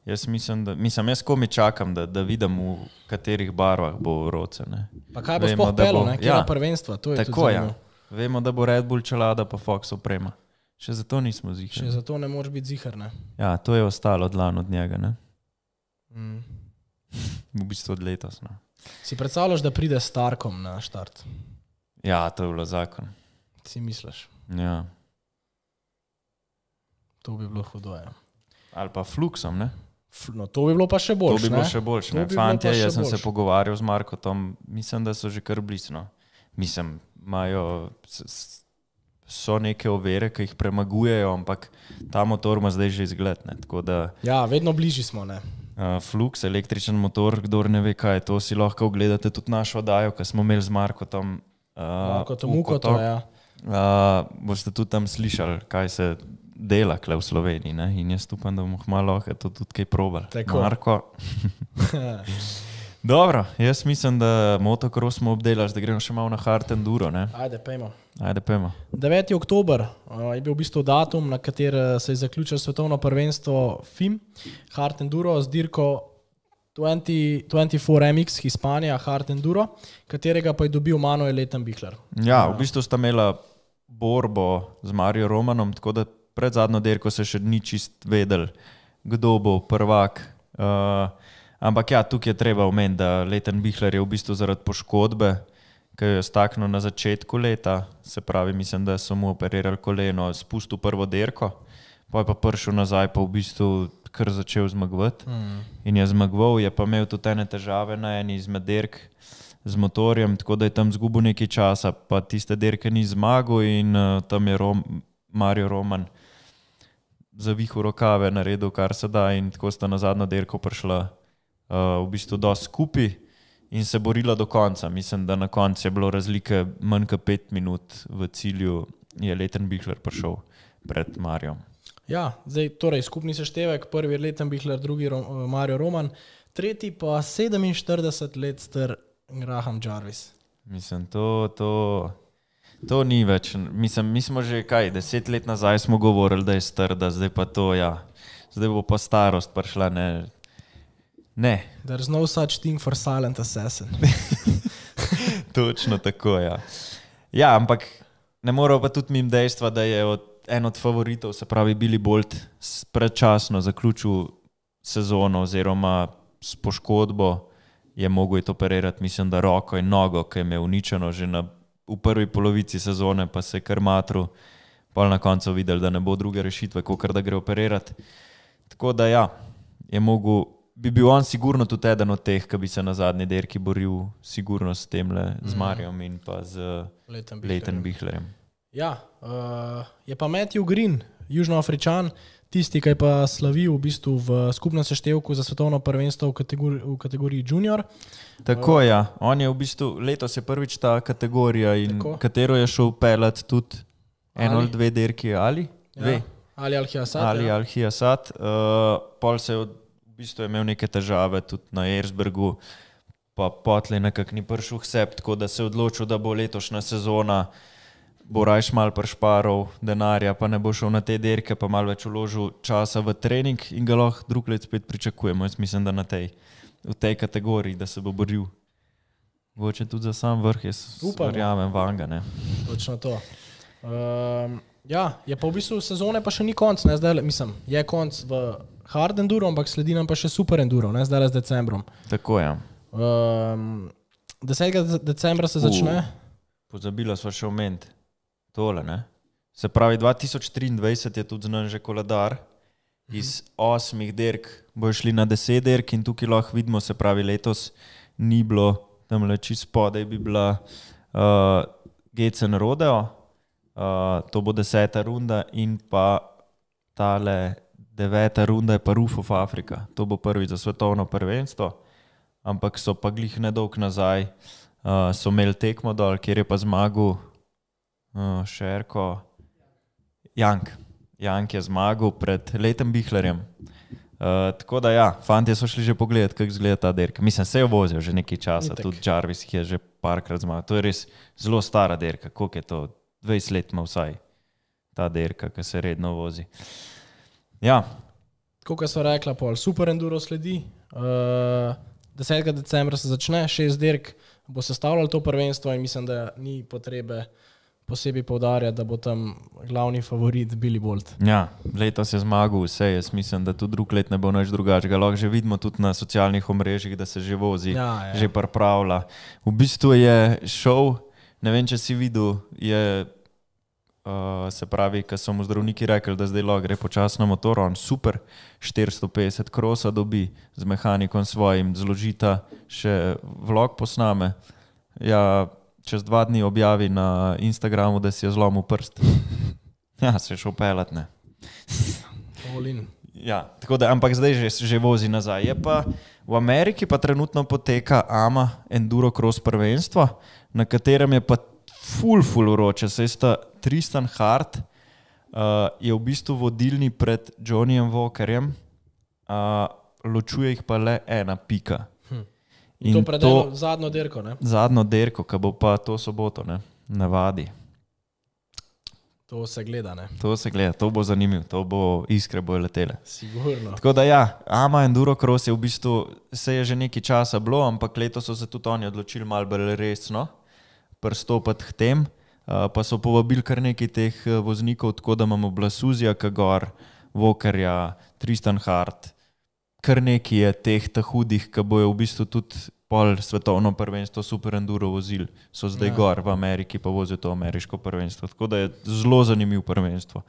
B: Jaz mislim, da, mislim, jaz komi čakam, da, da vidim, v katerih barvah bo Roce. Ne.
C: Pa kaj bo sploh pelil, kje ja. prvenstva, to je
B: tako,
C: tudi zanimiv.
B: Ja. Vemo, da bo Red Bull čelada pa Fox oprema. Še zato nismo zihar.
C: Še zato ne moreš biti zihar, ne?
B: Ja, to je ostalo dlan od njega, ne?
C: Mm.
B: V bistvu od letos, ne?
C: Si predstavljaš, da pride s Starkom na štart?
B: Ja, to je bilo zakon.
C: Si misliš?
B: Ja.
C: To bi bilo hudo, ja.
B: Ali pa Fluxom, ne?
C: No, to bi bilo pa še boljš,
B: ne? To bi bilo še boljš, ne?
C: Bi
B: Fantje, jaz sem boljš. se pogovarjal z Markotom, mislim, da so že kar blisno. Mislim, imajo... so neke overe, ki jih premagujejo, ampak ta motor ima zdaj že izgled. Ne? Tako da,
C: ja, vedno bližji smo. Ne?
B: Uh, Flux, električen motor, kdor ne ve, kaj je to, si lahko ogledate tudi našo oddajo, ki smo imeli z Markotom. Uh,
C: Markotom Ukoto, ja.
B: Uh, boste tudi tam slišali, kaj se dela kle v Sloveniji. Ne? In jaz upam, da bomo malo lahko to tudi kaj probali.
C: Tako.
B: Marko. Dobro, jaz mislim, da motocross smo obdelali, da gremo še malo na hard enduro, ne?
C: Ajde, pejmo.
B: Ajde, pejmo.
C: deveti oktober uh, je bil v bistvu datum, na kater se je zaključilo svetovno prvenstvo F I M, hard enduro z dirko dvajset štiri M X Hispanija, hard enduro, katerega pa je dobil Manuel Lettenbichler.
B: Ja, v bistvu sta imela borbo z Mario Romanom, tako da pred zadnjo dirko se še ni čist vedel, kdo bo prvak. Uh, Ampak ja, tukaj je treba omeniti, da Lettenbichler je v bistvu zaradi poškodbe, ki jo je staknil na začetku leta, se pravi, mislim, da so mu operirali koleno, spustil prvo dirko, pa je pa prišel nazaj, pa v bistvu kar začel zmagovati. Mm. In je zmagoval, je pa imel tudi ene težave na eni izmed dirk z motorjem, tako da je tam zgubil nekaj časa, pa tiste dirke ni zmagal in uh, tam je Rom, Mario Roman zavihal rokave, naredil kar se da in tako sta na zadnjo dirko prišla Uh, v bistvu dosti skupaj in se borila do konca. Mislim, da na koncu je bilo razlike manj kot pet minut v cilju, je Lettenbichler prišel pred Marijom.
C: Ja, zdaj torej skupni seštevek, prvi je Lettenbichler, drugi Ro- Mario Roman, tretji pa sedeminštirideset let star Graham Jarvis.
B: Mislim, to, to, to ni več. Mislim, mi smo že kaj, deset let nazaj smo govorili, da je star, da zdaj pa to, ja, zdaj bo pa starost prišla, ne. Ne.
C: There's no such thing for silent assassin.
B: Točno tako, ja. Ja, ampak ne moramo pa tudi mimo dejstva, da je od, en od favoritov, se pravi Billy Bolt, predčasno zaključil sezono oziroma s poškodbo je mogel iti operirati, mislim, da roko in nogo, ki je imel uničeno že na, v prvi polovici sezone, pa se je kar matru, pa na koncu videl, da ne bo druge rešitve, kakor da gre operirati. Tako da ja, je mogel, bi bil on sigurno tudi eden od teh, ki bi se na zadnji derki boril sigurno s temle, z Marijom in pa z Leighton Bihlerjem.
C: Ja, uh, je pa Matthew Green, Južnoafričan, tisti, ki je pa slavil v bistvu v skupnem seštevku za svetovno prvenstvo v kategoriji, v kategoriji junior.
B: Tako uh, ja, on je v bistvu, letos je prvič ta kategorija in tako, katero je šel pelat tudi eno ali dve derki ali dve.
C: Ja. Ali Al-Hiyasat.
B: Ali
C: ja.
B: Al-Hiyasat. Uh, pol se je v bistvu imel neke težave tudi na Erzbergu, pa potlej nekako ni prišel k sebi, tako da se je odločil, da bo letošnja sezona, bo rajš mal prešparov denarja, pa ne bo šel na te derke, pa malo več vložil časa v trening in ga lahko drug let spet pričakujemo. Jaz mislim, da na tej, v tej kategoriji, da se bo boril. Boče tudi za sam vrh, jaz verjamem vanga, ne.
C: Točno to. Um, Ja, je pa v bistvu sezone pa še ni konc, ne, zdaj, mislim, je konc v hard enduro, ampak sledi nam pa še super enduro, ne, zdaj z decembrom.
B: Tako je.
C: Um, desetega decembra se začne.
B: Uh, pozabila sva še omeniti tole, ne. Se pravi, dva tisoč triindvajset je tudi znan že koledar, iz osmih derk bojo šli na deset derk in tukaj lahko vidimo, se pravi, letos ni bilo, tamle čist spodaj bi bila uh, G C N Rodeo, Uh, to bo deseta runda in pa tale deveta runda je pa Roof of Africa. To bo prvi za svetovno prvenstvo, ampak so pa glih nedolg nazaj, uh, so imeli tekmo dol, kjer je pa zmagal uh, Šerko, Jank. Jank je zmagal pred Leighton Bihlerjem. Uh, tako da ja, fantje so šli že pogledati, kako izgleda ta derka. Mislim, se je vozil že nekaj časa, Itek. Tudi Jarvis je že parkrat zmagal. To je res zelo stara derka, koliko je to? dvajset let ima vsaj ta derka, ki se redno vozi. Ja.
C: Kako so rekla, pol, super enduro sledi. Uh, desetega decembra se začne, šest derk bo sestavljalo to prvenstvo in mislim, da ni potrebe posebej poudarjati, da bo tam glavni favorit Billy Bolt.
B: Ja, letos je zmagal vse, jaz mislim, da tudi drug let ne bo nič drugačega. Lahko že vidimo tudi na socialnih omrežjih, da se že vozi, ja, ja. Že pripravlja. V bistvu je šov, ne vem, če si videl, je, uh, se pravi, ko so mu zdravniki rekli, da zdaj lahko gre počasno na motor, on super štiristo petdeset krosa dobi z mehanikom svojim, zložita, še vlog posname. Ja, čez dva dni objavi na Instagramu, da si je zlomil prst. Ja, se je šel pelat, ne. Ja, tako da, ampak zdaj že, že vozi nazaj. Je pa v Ameriki pa trenutno poteka A M A Enduro Cross prvenstvo, na katerem je pa ful, ful vroče. Saj sta Tristan Hart uh, je v bistvu vodilni pred Johnnyjem Walkerjem, uh, ločuje jih pa le ena pika.
C: Hm. In to pred eno zadnjo derko, ne?
B: Zadnjo derko, ki bo pa to soboto, ne, navadi.
C: To se gleda, ne?
B: To se gleda, to bo zanimivo, to bo iskre bojo letele.
C: Sigurno.
B: Tako da ja, A M A Enduro Cross je v bistvu, se je že nekaj časa bilo, ampak letos so se tudi oni odločili malo bolj resno pristopati k tem, uh, pa so povabili kar nekaj teh voznikov, tako da imamo Blasuzija, Kagor, Walkerja, Tristan Hart, kar nekaj je teh ta hudih, ki bojo v bistvu tudi pol svetovno prvenstvo super enduro vozili, so zdaj ja. Gor v Ameriki, pa vozijo to ameriško prvenstvo, tako da je zelo zanimiv prvenstvo,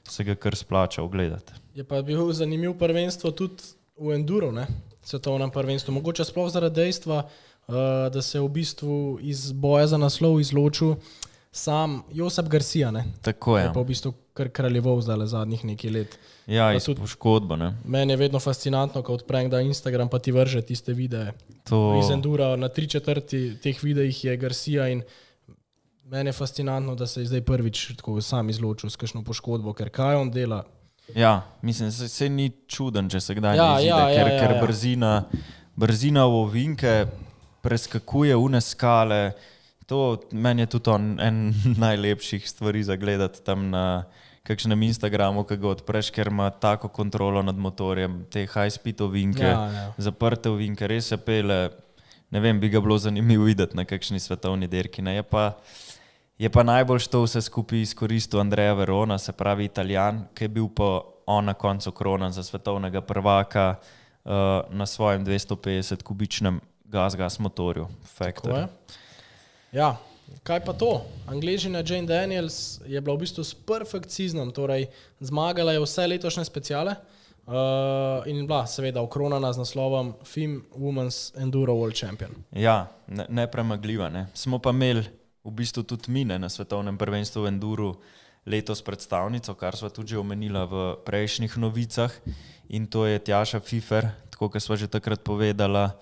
B: se ga kar splača ogledati.
C: Je pa bil zanimiv prvenstvo tudi v enduro, ne, svetovnem prvenstvu, mogoče sploh zaradi dejstva, uh, da se je v bistvu iz boja za naslov izločil sam Josep Garcia, ne.
B: Tako je.
C: Je pa v bistvu kar kraljeval zdaj zadnjih nekaj let.
B: Ja, iz poškodba, ne.
C: Meni je vedno fascinantno, ko odprem da Instagram, pa ti vrže tiste videe. To... Iz endura na tri četrti teh videih je Garcia in meni je fascinantno, da se je zdaj prvič tako sam izločil s kakšno poškodbo, ker kaj on dela?
B: Ja, mislim, se, se ni čuden, če se kdaj
C: ja,
B: ne izide,
C: ja,
B: ker,
C: ja, ja,
B: ker
C: ja.
B: brzina, brzina v ovinke preskakuje une skale. To meni je tudi on en najlepših stvari za gledati tam na kakšnem Instagramu, ki ga odpreš, ker ima tako kontrolo nad motorjem, te high speed ovinke,
C: ja, ja.
B: zaprte ovinke, res se pele, ne vem, bi ga bilo zanimivo videti na kakšni svetovni derki. Ne? Je pa, je pa najbolj to vse skupaj izkoristil Andrea Verona, se pravi Italijan, ki je bil pa on na koncu kronan za svetovnega prvaka uh, na svojem dvesto petdeset kubičnem gas-gas motorju. Factor.
C: Ja, kaj pa to? Angleščina Jane Daniels je bila v bistvu s perfect seasonom, torej zmagala je vse letošnje speciale. Uh, in bila seveda okronana z naslovom F I M Women's Enduro World Champion.
B: Ja, ne, nepremagljiva. Ne. Smo pa imeli v bistvu tudi mine na svetovnem prvenstvu v Enduru letos predstavnico, kar sva tudi že omenila v prejšnjih novicah, in to je Tjaša Fifer, tako kot sva že takrat povedala,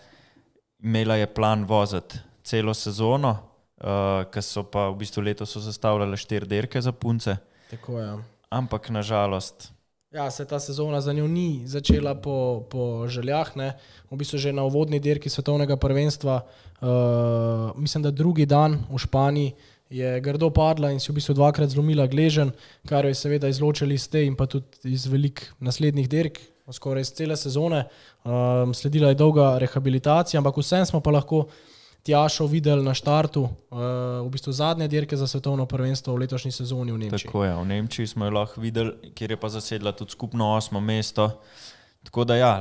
B: imela je plan voziti celo sezono, uh, ker so pa v bistvu letos so zastavljale štiri dirke za punce,
C: Tako je.
B: ampak nažalost.
C: Ja, se ta sezona za njo ni začela po, po željah, ne. V bistvu že na uvodni dirki svetovnega prvenstva, uh, mislim, da drugi dan v Španiji je grdo padla in si v bistvu dvakrat zlomila gleženj, kar jo je seveda izločili iz te in pa tudi iz velik naslednjih dirk, skoraj iz cele sezone. Um, sledila je dolga rehabilitacija, ampak vsem smo pa lahko Tjašo videli na štartu, uh, v bistvu zadnje dirke za svetovno prvenstvo v letošnji sezoni v Nemčiji.
B: Tako je, v Nemčiji smo jo lahko videli, kjer je pa zasedla tudi skupno osmo mesto. Tako da ja,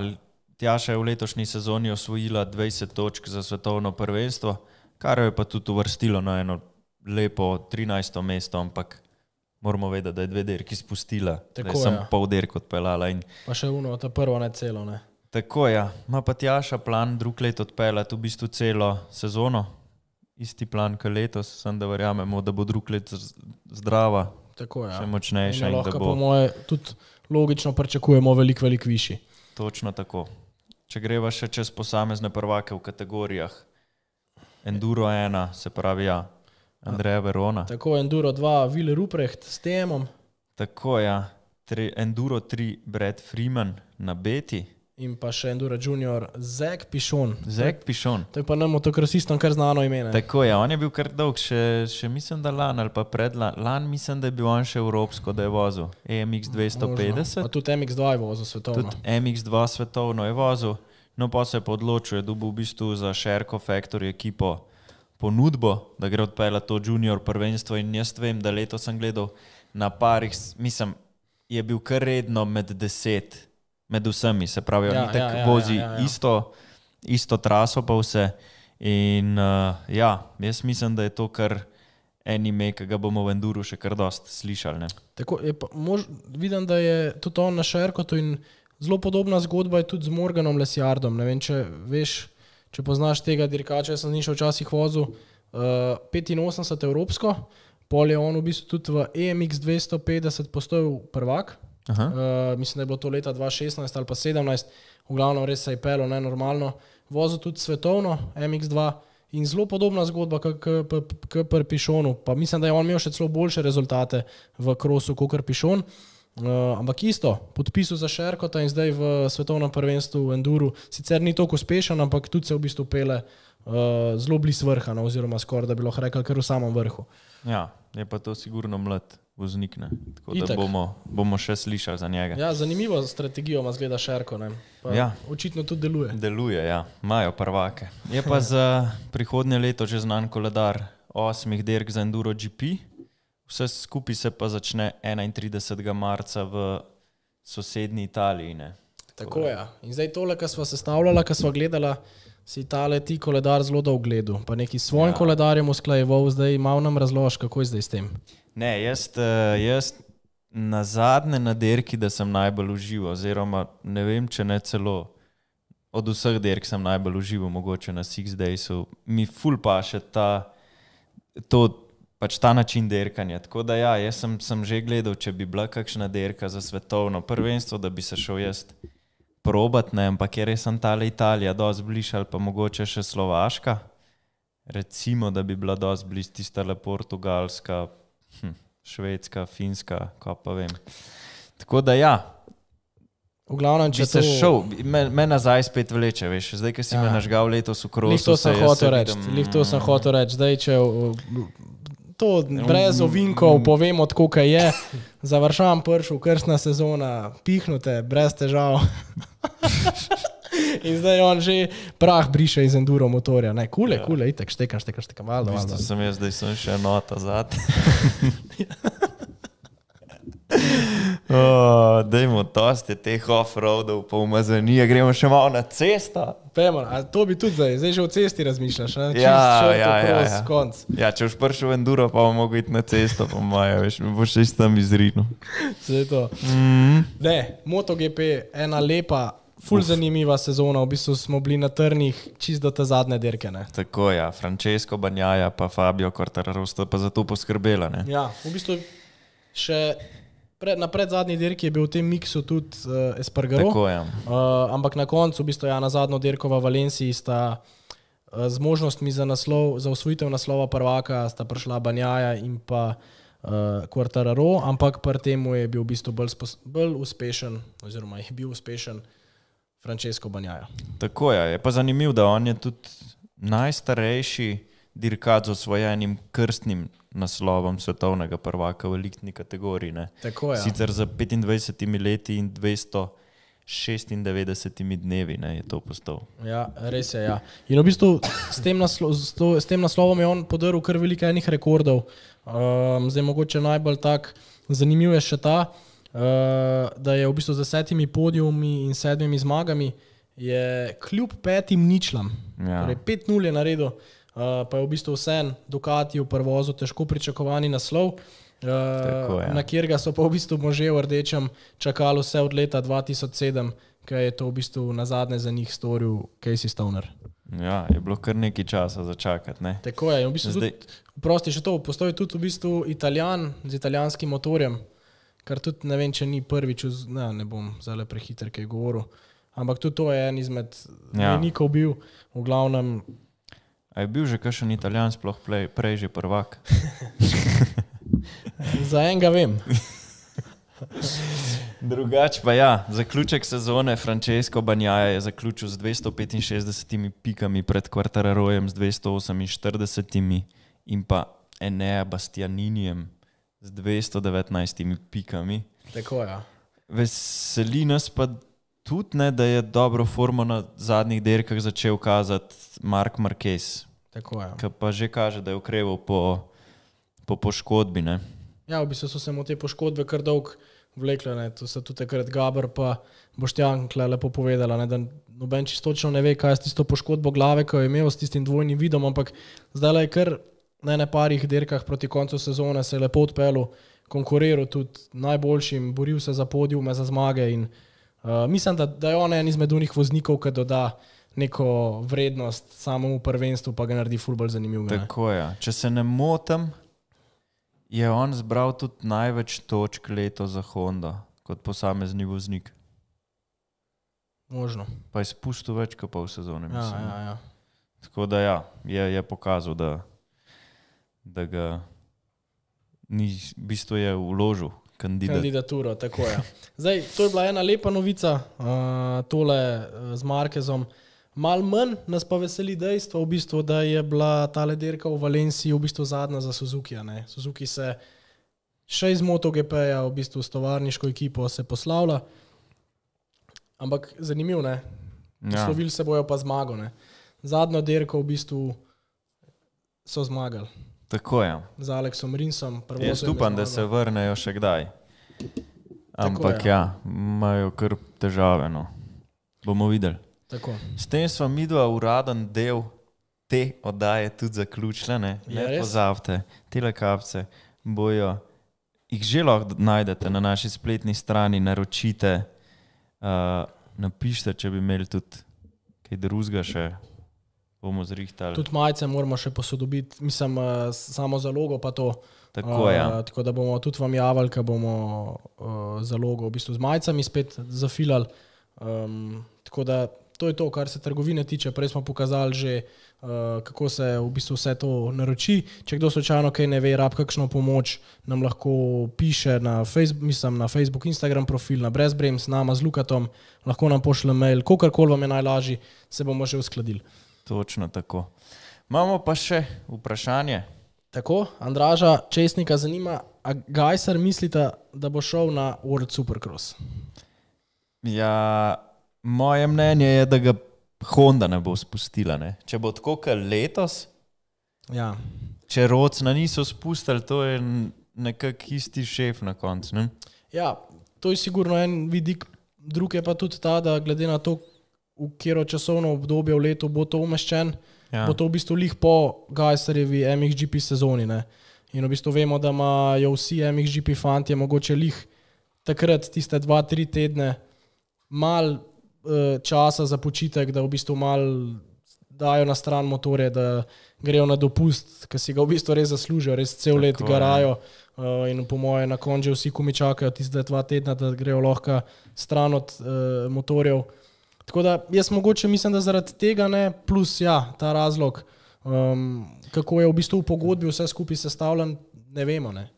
B: Tjaša je v letošnji sezoni osvojila dvajset točk za svetovno prvenstvo, kar jo je pa tudi uvrstilo na eno lepo trinajsto mesto, ampak moramo vedeti, da je dve dirki spustila,
C: Tako
B: da je sem
C: je.
B: pol dirk odpeljala. In
C: Pa še uno, ta prvo ne celo, ne.
B: tako ja, ima pa Tjaša plan drug let odpeljati v bistvu celo sezono, isti plan kot letos, sem da verjamemo, da bo drug let z- zdrava,
C: Tako je.
B: še
C: Ja.
B: močnejša
C: In
B: in da
C: lahko po
B: bo
C: moje tudi logično pričakujemo veliko, veliko višji.
B: točno tako. Če greva še čez posamezne prvake v kategorijah, Enduro ena, se pravi ja, Andreja Verona,
C: Tako Enduro dva, Will Ruprecht s temom
B: tako ja, tri, Enduro tri, Brad Freeman na beti,
C: in pa še Enduro Junior, Zek Pišon.
B: Zek Pišon.
C: To je pa nam motokrosistom kar znano ime. ne.
B: Tako je, on je bil kar dolg, še, še mislim, da lan ali pa predlan. Lan mislim, da je bil on še evropsko, da je vozil E M X dvesto petdeset,
C: Pa tudi M X dva je vozil svetovno.
B: tudi M X dva svetovno je vozil, no pa se je pa odločil, je dobil v bistvu za Sherco Factory ekipo ponudbo, da gre odpeljati to junior prvenstvo, in jaz vem, da letos sem gledal na parih, mislim, je bil kar redno med deset, med vsemi, se pravi,
C: Ja,
B: on itak
C: ja, ja,
B: vozi
C: ja, ja, ja.
B: isto, isto traso pa vse. In uh, ja, jaz mislim, da je to kar en ime, ki ga bomo v Enduru še kar dost slišali. Ne?
C: Tako, je pa, mož, vidim, da je tudi on na Šerkotu in zelo podobna zgodba je tudi z Morganom Lesjardom. Ne vem, če veš, če poznaš tega dirkača, jaz sem z njim še včasih vozil uh, petinosemdeset evropsko, pol je on v bistvu tudi v E M X dvesto petdeset postal prvak.
B: Aha.
C: Uh, mislim, da je bilo to leta dva tisoč šestnajst ali pa sedemnajst, v glavnem res se je pelo nenormalno. Vozil tudi svetovno M X dva in zelo podobna zgodba kot pri Pišonu. Pa mislim, da je on imel še celo boljše rezultate v krosu kot Pišon. Uh, ampak isto, podpisal za Sherkota in zdaj v svetovnem prvenstvu v Enduru. Sicer ni toliko uspešen, ampak tudi se v bistvu pele uh, zelo blizu vrha, no, oziroma skoraj da bi lahko rekel kar v samem vrhu.
B: Ja, je pa to sigurno mlad voznik, ne? Tako da
C: Itak.
B: bomo, bomo še slišali za njega.
C: Ja, zanimivo strategijo ima zgleda Sherko, ne. Pa
B: Ja.
C: očitno tudi deluje.
B: Deluje, ja, imajo prvake. Je pa za prihodnje leto že znan koledar osmih dirk za Enduro G P. Vse skupaj se pa začne enaintridesetega marca v sosednji Italiji. Ne?
C: Tako je. Ja. In zdaj tole, kar sva sestavljala, kar sva gledala, si tale ti koledar zelo dolgo gledal. Pa neki s svojim
B: Ja.
C: ja. koledarjem usklajeval, zdaj malo nam razloži, kako je zdaj s tem.
B: Ne, jaz, eh, jaz na zadnje na dirki, da sem najbolj užival, oziroma ne vem, če ne celo od vseh dirk sem najbolj užival, mogoče na Six Daysu, mi ful pa še ta, to, pač ta način dirkanja. Tako da ja, jaz sem, sem že gledal, če bi bila kakšna dirka za svetovno prvenstvo, da bi se šel jaz probat, ne, ampak je res sem tale Italija dosti bliž, ali pa mogoče še Slovaška. Recimo, da bi bila dosti bliž tista le Portugalska, hm, Švedska, Finska, ko pa vem. Tako da ja,
C: V glavnem, če
B: če se
C: to...
B: šel, me, me nazaj spet vleče, veš, zdaj, ki si ja.
C: Ja.
B: me nažgal letos v krosu.
C: Lih to sem
B: se jaz
C: hotel
B: se
C: reči,
B: vidim,
C: lih to sem hotel reči. Zdaj, če uh, to brez ovinkov povemo, tako kaj je, završam pršu, krstna sezona, pihnute, brez težav. In zdaj on že prah briše iz enduro motorja. Ne, kule, ja. kule, itek, štekam, štekam, štekam, valjda,
B: V bistvu
C: valjda.
B: sem jaz, zdaj sem še nota zad. Oh, dajmo to. dosti je teh off-roadov, pa umazanije, gremo še malo na cesto.
C: Pejmo, a to bi tudi zdaj, zdaj že o cesti razmišljaš, ne? Čist
B: Ja,
C: short
B: ja, ja,
C: across,
B: ja.
C: konc.
B: Ja, če boš prišel v enduro, pa bomo mogli iti na cesto, po moje, veš, mi boš še tam izrinil.
C: Zdaj to.
B: Mm.
C: Ne, MotoGP, ena lepa, ful zanimiva sezona, v bistvu smo bili na trnih čist do te zadnje dirke, ne?
B: Tako, ja, Francesco Bagnaia pa Fabio Quartararo sta pa za to poskrbela, ne?
C: Ja, v bistvu še pred, na predzadnji dirki je bil v tem miksu tudi uh, Espargaro.
B: Tako, ja.
C: Uh, ampak na koncu, v bistvu, ja, na zadnjo dirko v Valenciji sta uh, z možnostmi za, naslov, za osvojitev naslova prvaka sta prišla Bagnaia in pa uh, Quartararo, ampak pri temu je bil v bistvu bolj, spos, bolj uspešen, oziroma je bil uspešen Francesco Bagnaia.
B: Tako je, je pa zanimiv, da on je tudi najstarejši dirkač z osvojenim krstnim naslovom svetovnega prvaka v elitni kategoriji. Ne?
C: Tako je.
B: Sicer za petindvajsetimi leti in dvesto šestindevetdesetimi dnevi, ne, je to postal.
C: Ja, res je, ja. In v bistvu s tem, naslo, s to, s tem naslovom je on podaril kar veliko enih rekordov. Um, zdaj mogoče najbolj tak zanimiv je še ta, uh, da je v bistvu z desetimi podijumi in sedmimi zmagami je kljub petim ničlam,
B: Ja.
C: torej pet nul je naredil, uh, pa je v bistvu vsem Ducati v prvozu težko pričakovani naslov,
B: Tako,
C: uh,
B: ja.
C: na kjerga so pa v bistvu može v rdečem čakali vse od leta dva tisoč sedem, ker je to v bistvu nazadnje za njih storil Casey Stoner.
B: Ja, je bilo kar nekaj časa za čakati, ne.
C: Tako je, in v bistvu
B: Zdaj-
C: tudi, prosti še to, postoji tudi v bistvu Italijan z italijanskim motorjem, kar tudi ne vem, če ni prvič, vz, ne, ne bom zdaj prehiter, kaj je govoril, ampak tudi to je en izmed
B: Ja.
C: mejnikov bil, v glavnem,
B: A je bil že kakšen Italijan sploh prej, prej že prvak?
C: za enega vem.
B: Drugač pa ja, zaključek sezone Francesco Bagnaia je zaključil z dvesto petinšestdesetimi pikami pred Quartararojem z dvesto oseminštiridesetimi in pa Enea Bastianinijem z dvesto devetnajstimi pikami.
C: Tako je.
B: Veseli nas pa tudi, ne, da je dobro formo na zadnjih dirkah začel kazati Marc Marquez,
C: Tako je.
B: ki pa že kaže, da je ukreval po, po poškodbi. Ne.
C: Ja, v bistvu so se mu te poškodbe kar dolg vlekle, ne. To so tudi takrat Gaber pa Boštjan Kle lepo povedala, ne, da noben čisto točno ne ve, kaj je s tisto poškodbo glave, ko je imel s tistim dvojnim vidom, ampak zdaj je kar na ene parih dirkah proti koncu sezone se je lepo odpeljal, konkuriral tudi najboljšim, boril se za podiume, za zmage in uh, mislim, da, da je on en izmed unih voznikov, ki doda neko vrednost samemu prvenstvu, pa ga naredi ful bolj zanimivega. ne.
B: Tako je. Če se ne motim, je on zbral tudi največ točk leto za Honda kot posamezni voznik.
C: Možno.
B: Pa je spustil več kot pol sezone,
C: Ja,
B: mislim.
C: ja, ja.
B: Tako da ja, je, je pokazal, da, da ga ni, v bistvu je vložil kandidat.
C: Kandidaturo, tako je. Zdaj, to je bila ena lepa novica, uh, tole uh, z Markezom. Mal manj nas pa veseli dejstvo, v bistvu, da je bila tale dirka v Valenciji v bistvu zadnja za Suzuki. Ne? Suzuki se še iz MotoGP-ja v bistvu s tovarniško ekipo se poslavlja, ampak zanimivo, ne?
B: Ja.
C: Poslovili se bojo pa zmago. Ne? Zadnjo dirko v bistvu so zmagali
B: Tako je.
C: z Aleksom Rinsom.
B: Jaz upam, da se vrnejo še kdaj. Ampak
C: je.
B: ja, imajo kar težave. No. Bomo videli.
C: Tako.
B: S tem smo midva uraden del te oddaje tudi zaključile. Ne,
C: Je
B: ne
C: res?
B: pozabite, tele kapce bojo, jih že lahko najdete na naši spletni strani, naročite, uh, napišite, če bi imeli tudi kaj drugega še, bomo zrihtali.
C: Tudi majice moramo še posodobiti, mislim, uh, samo zalogo pa to.
B: Tako, ja.
C: Uh, tako da bomo tudi vam javili, ko bomo uh, zalogo v bistvu z majicami spet zafilali. Um, tako da to je to, kar se trgovine tiče. Prej smo pokazali že, uh, kako se v bistvu vse to naroči. Če kdo slučajno kaj ne ve, rab kakšno pomoč, nam lahko piše na Facebook, mislim, na Facebook, Instagram profil, na Brezbrems, nama z Lukatom, lahko nam pošle mail, kokarkoli vam je najlažji, se bomo že uskladili.
B: Točno tako. Imamo pa še vprašanje.
C: Tako, Andraža Česnika zanima, a Gajser mislite, da bo šel na World Supercross?
B: Ja, moje mnenje je, da ga Honda ne bo spustila. Ne? Če bo tako kot letos,
C: Ja,
B: če Rocna niso spustili, to je nekak isti šef na koncu. Ne?
C: ja, to je sigurno en vidik drug je pa tudi ta, da glede na to, v katero časovno obdobje v letu bo to umeščen, ja. bo to v bistvu lih po Gajserjevi M X G P sezoni. Ne? In v bistvu vemo, da imajo vsi M X G P fantje mogoče lih takrat tiste dva, tri tedne mal uh, časa za počitek, da v bistvu mal dajo na stran motorje, da grejo na dopust, ki si ga v bistvu res zaslužijo, res cel let
B: Tako,
C: garajo uh, in po moje na koncu vsi komi čakajo tiste dva tedna, da grejo lahko stran od uh, motorjev. Tako da jaz mogoče mislim, da zaradi tega ne, plus ja, ta razlog, um, kako je v bistvu v pogodbi vse skupaj sestavljen, ne vemo. Ne.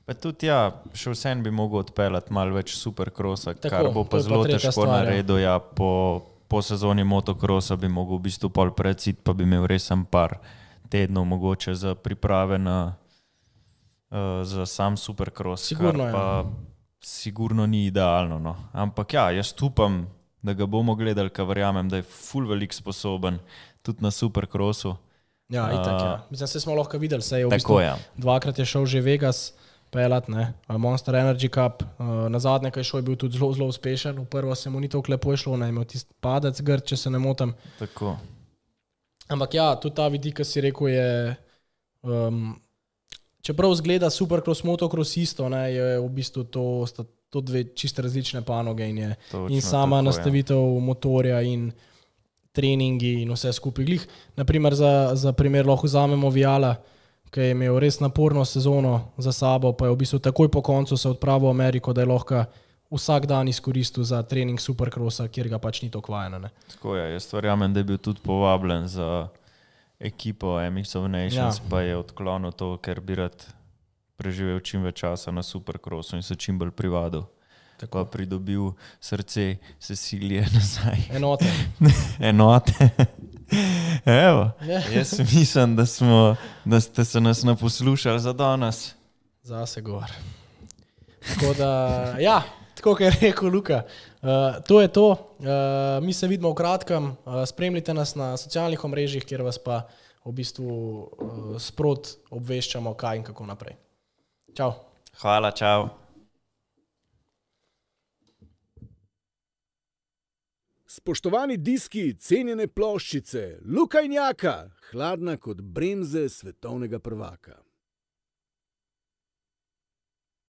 B: Pa tudi ja, še vsem bi mogel odpeljati malo več supercrossa,
C: Tako,
B: kar bo
C: to
B: pa
C: je pa
B: zelo
C: tretja
B: težko
C: stvar, ja.
B: narediti, ja, po, po sezoni motocrossa bi mogel v bistvu pol precit, pa bi imel res sam par tednov mogoče za priprave na, uh, za sam supercross,
C: Sigurno,
B: kar pa
C: ja.
B: sigurno ni idealno. No. Ampak ja, jaz upam, da ga bomo gledali, ker verjamem, da je ful velik sposoben tudi na supercrossu.
C: Ja, itak, ja. Mislim, se smo lahko videli, se je v
B: Tako,
C: bistvu
B: ja.
C: dvakrat je šel že Vegas pelat, ne, Monster Energy Cup, uh, na zadnje, kaj šel, je bil tudi zelo, zelo uspešen, v prvo se mu ni toliko lepo išlo, ne, imel tist padec grd, če se ne motim.
B: Tako.
C: Ampak ja, tudi ta vidik, ki si rekel, je, um, čeprav zgleda supercross, motocross isto, ne, je v bistvu to, sta to dve čisto različne panoge in je
B: Točno,
C: in sama
B: tako,
C: nastavitev ja. motorja in treningi in vse skupaj. Glih, naprimer za, za primer lahko vzamemo Viala, ki je imel res naporno sezono za sabo, pa je v bistvu takoj po koncu se odpravil v Ameriko, da je lahko vsak dan izkoristil za trening supercrossa, kjer ga pač ni to kvajeno. Ne.
B: Tako je, jaz verjamem, da je bil tudi povabljen za ekipo M X of Nations, ja. pa je odklonil to, ker bi rad preživel čim več časa na supercrossu in se čim bolj privadil. Tako pa pridobil srce Cecilije nazaj.
C: Enote.
B: Enote. Evo,
C: Ja.
B: jaz mislim, da, smo, da ste se nas naposlušali za danes.
C: Zase gor. Tako da, ja, tako kot je rekel Luka, uh, to je to. Uh, mi se vidimo v kratkem. Uh, spremljite nas na socialnih omrežjih, kjer vas pa v bistvu uh, sprot obveščamo, kaj in kako naprej. Čau.
B: Hvala, čau.
A: Spoštovani diski, cenjene ploščice, Luka in Jaka, hladna kot bremze svetovnega prvaka.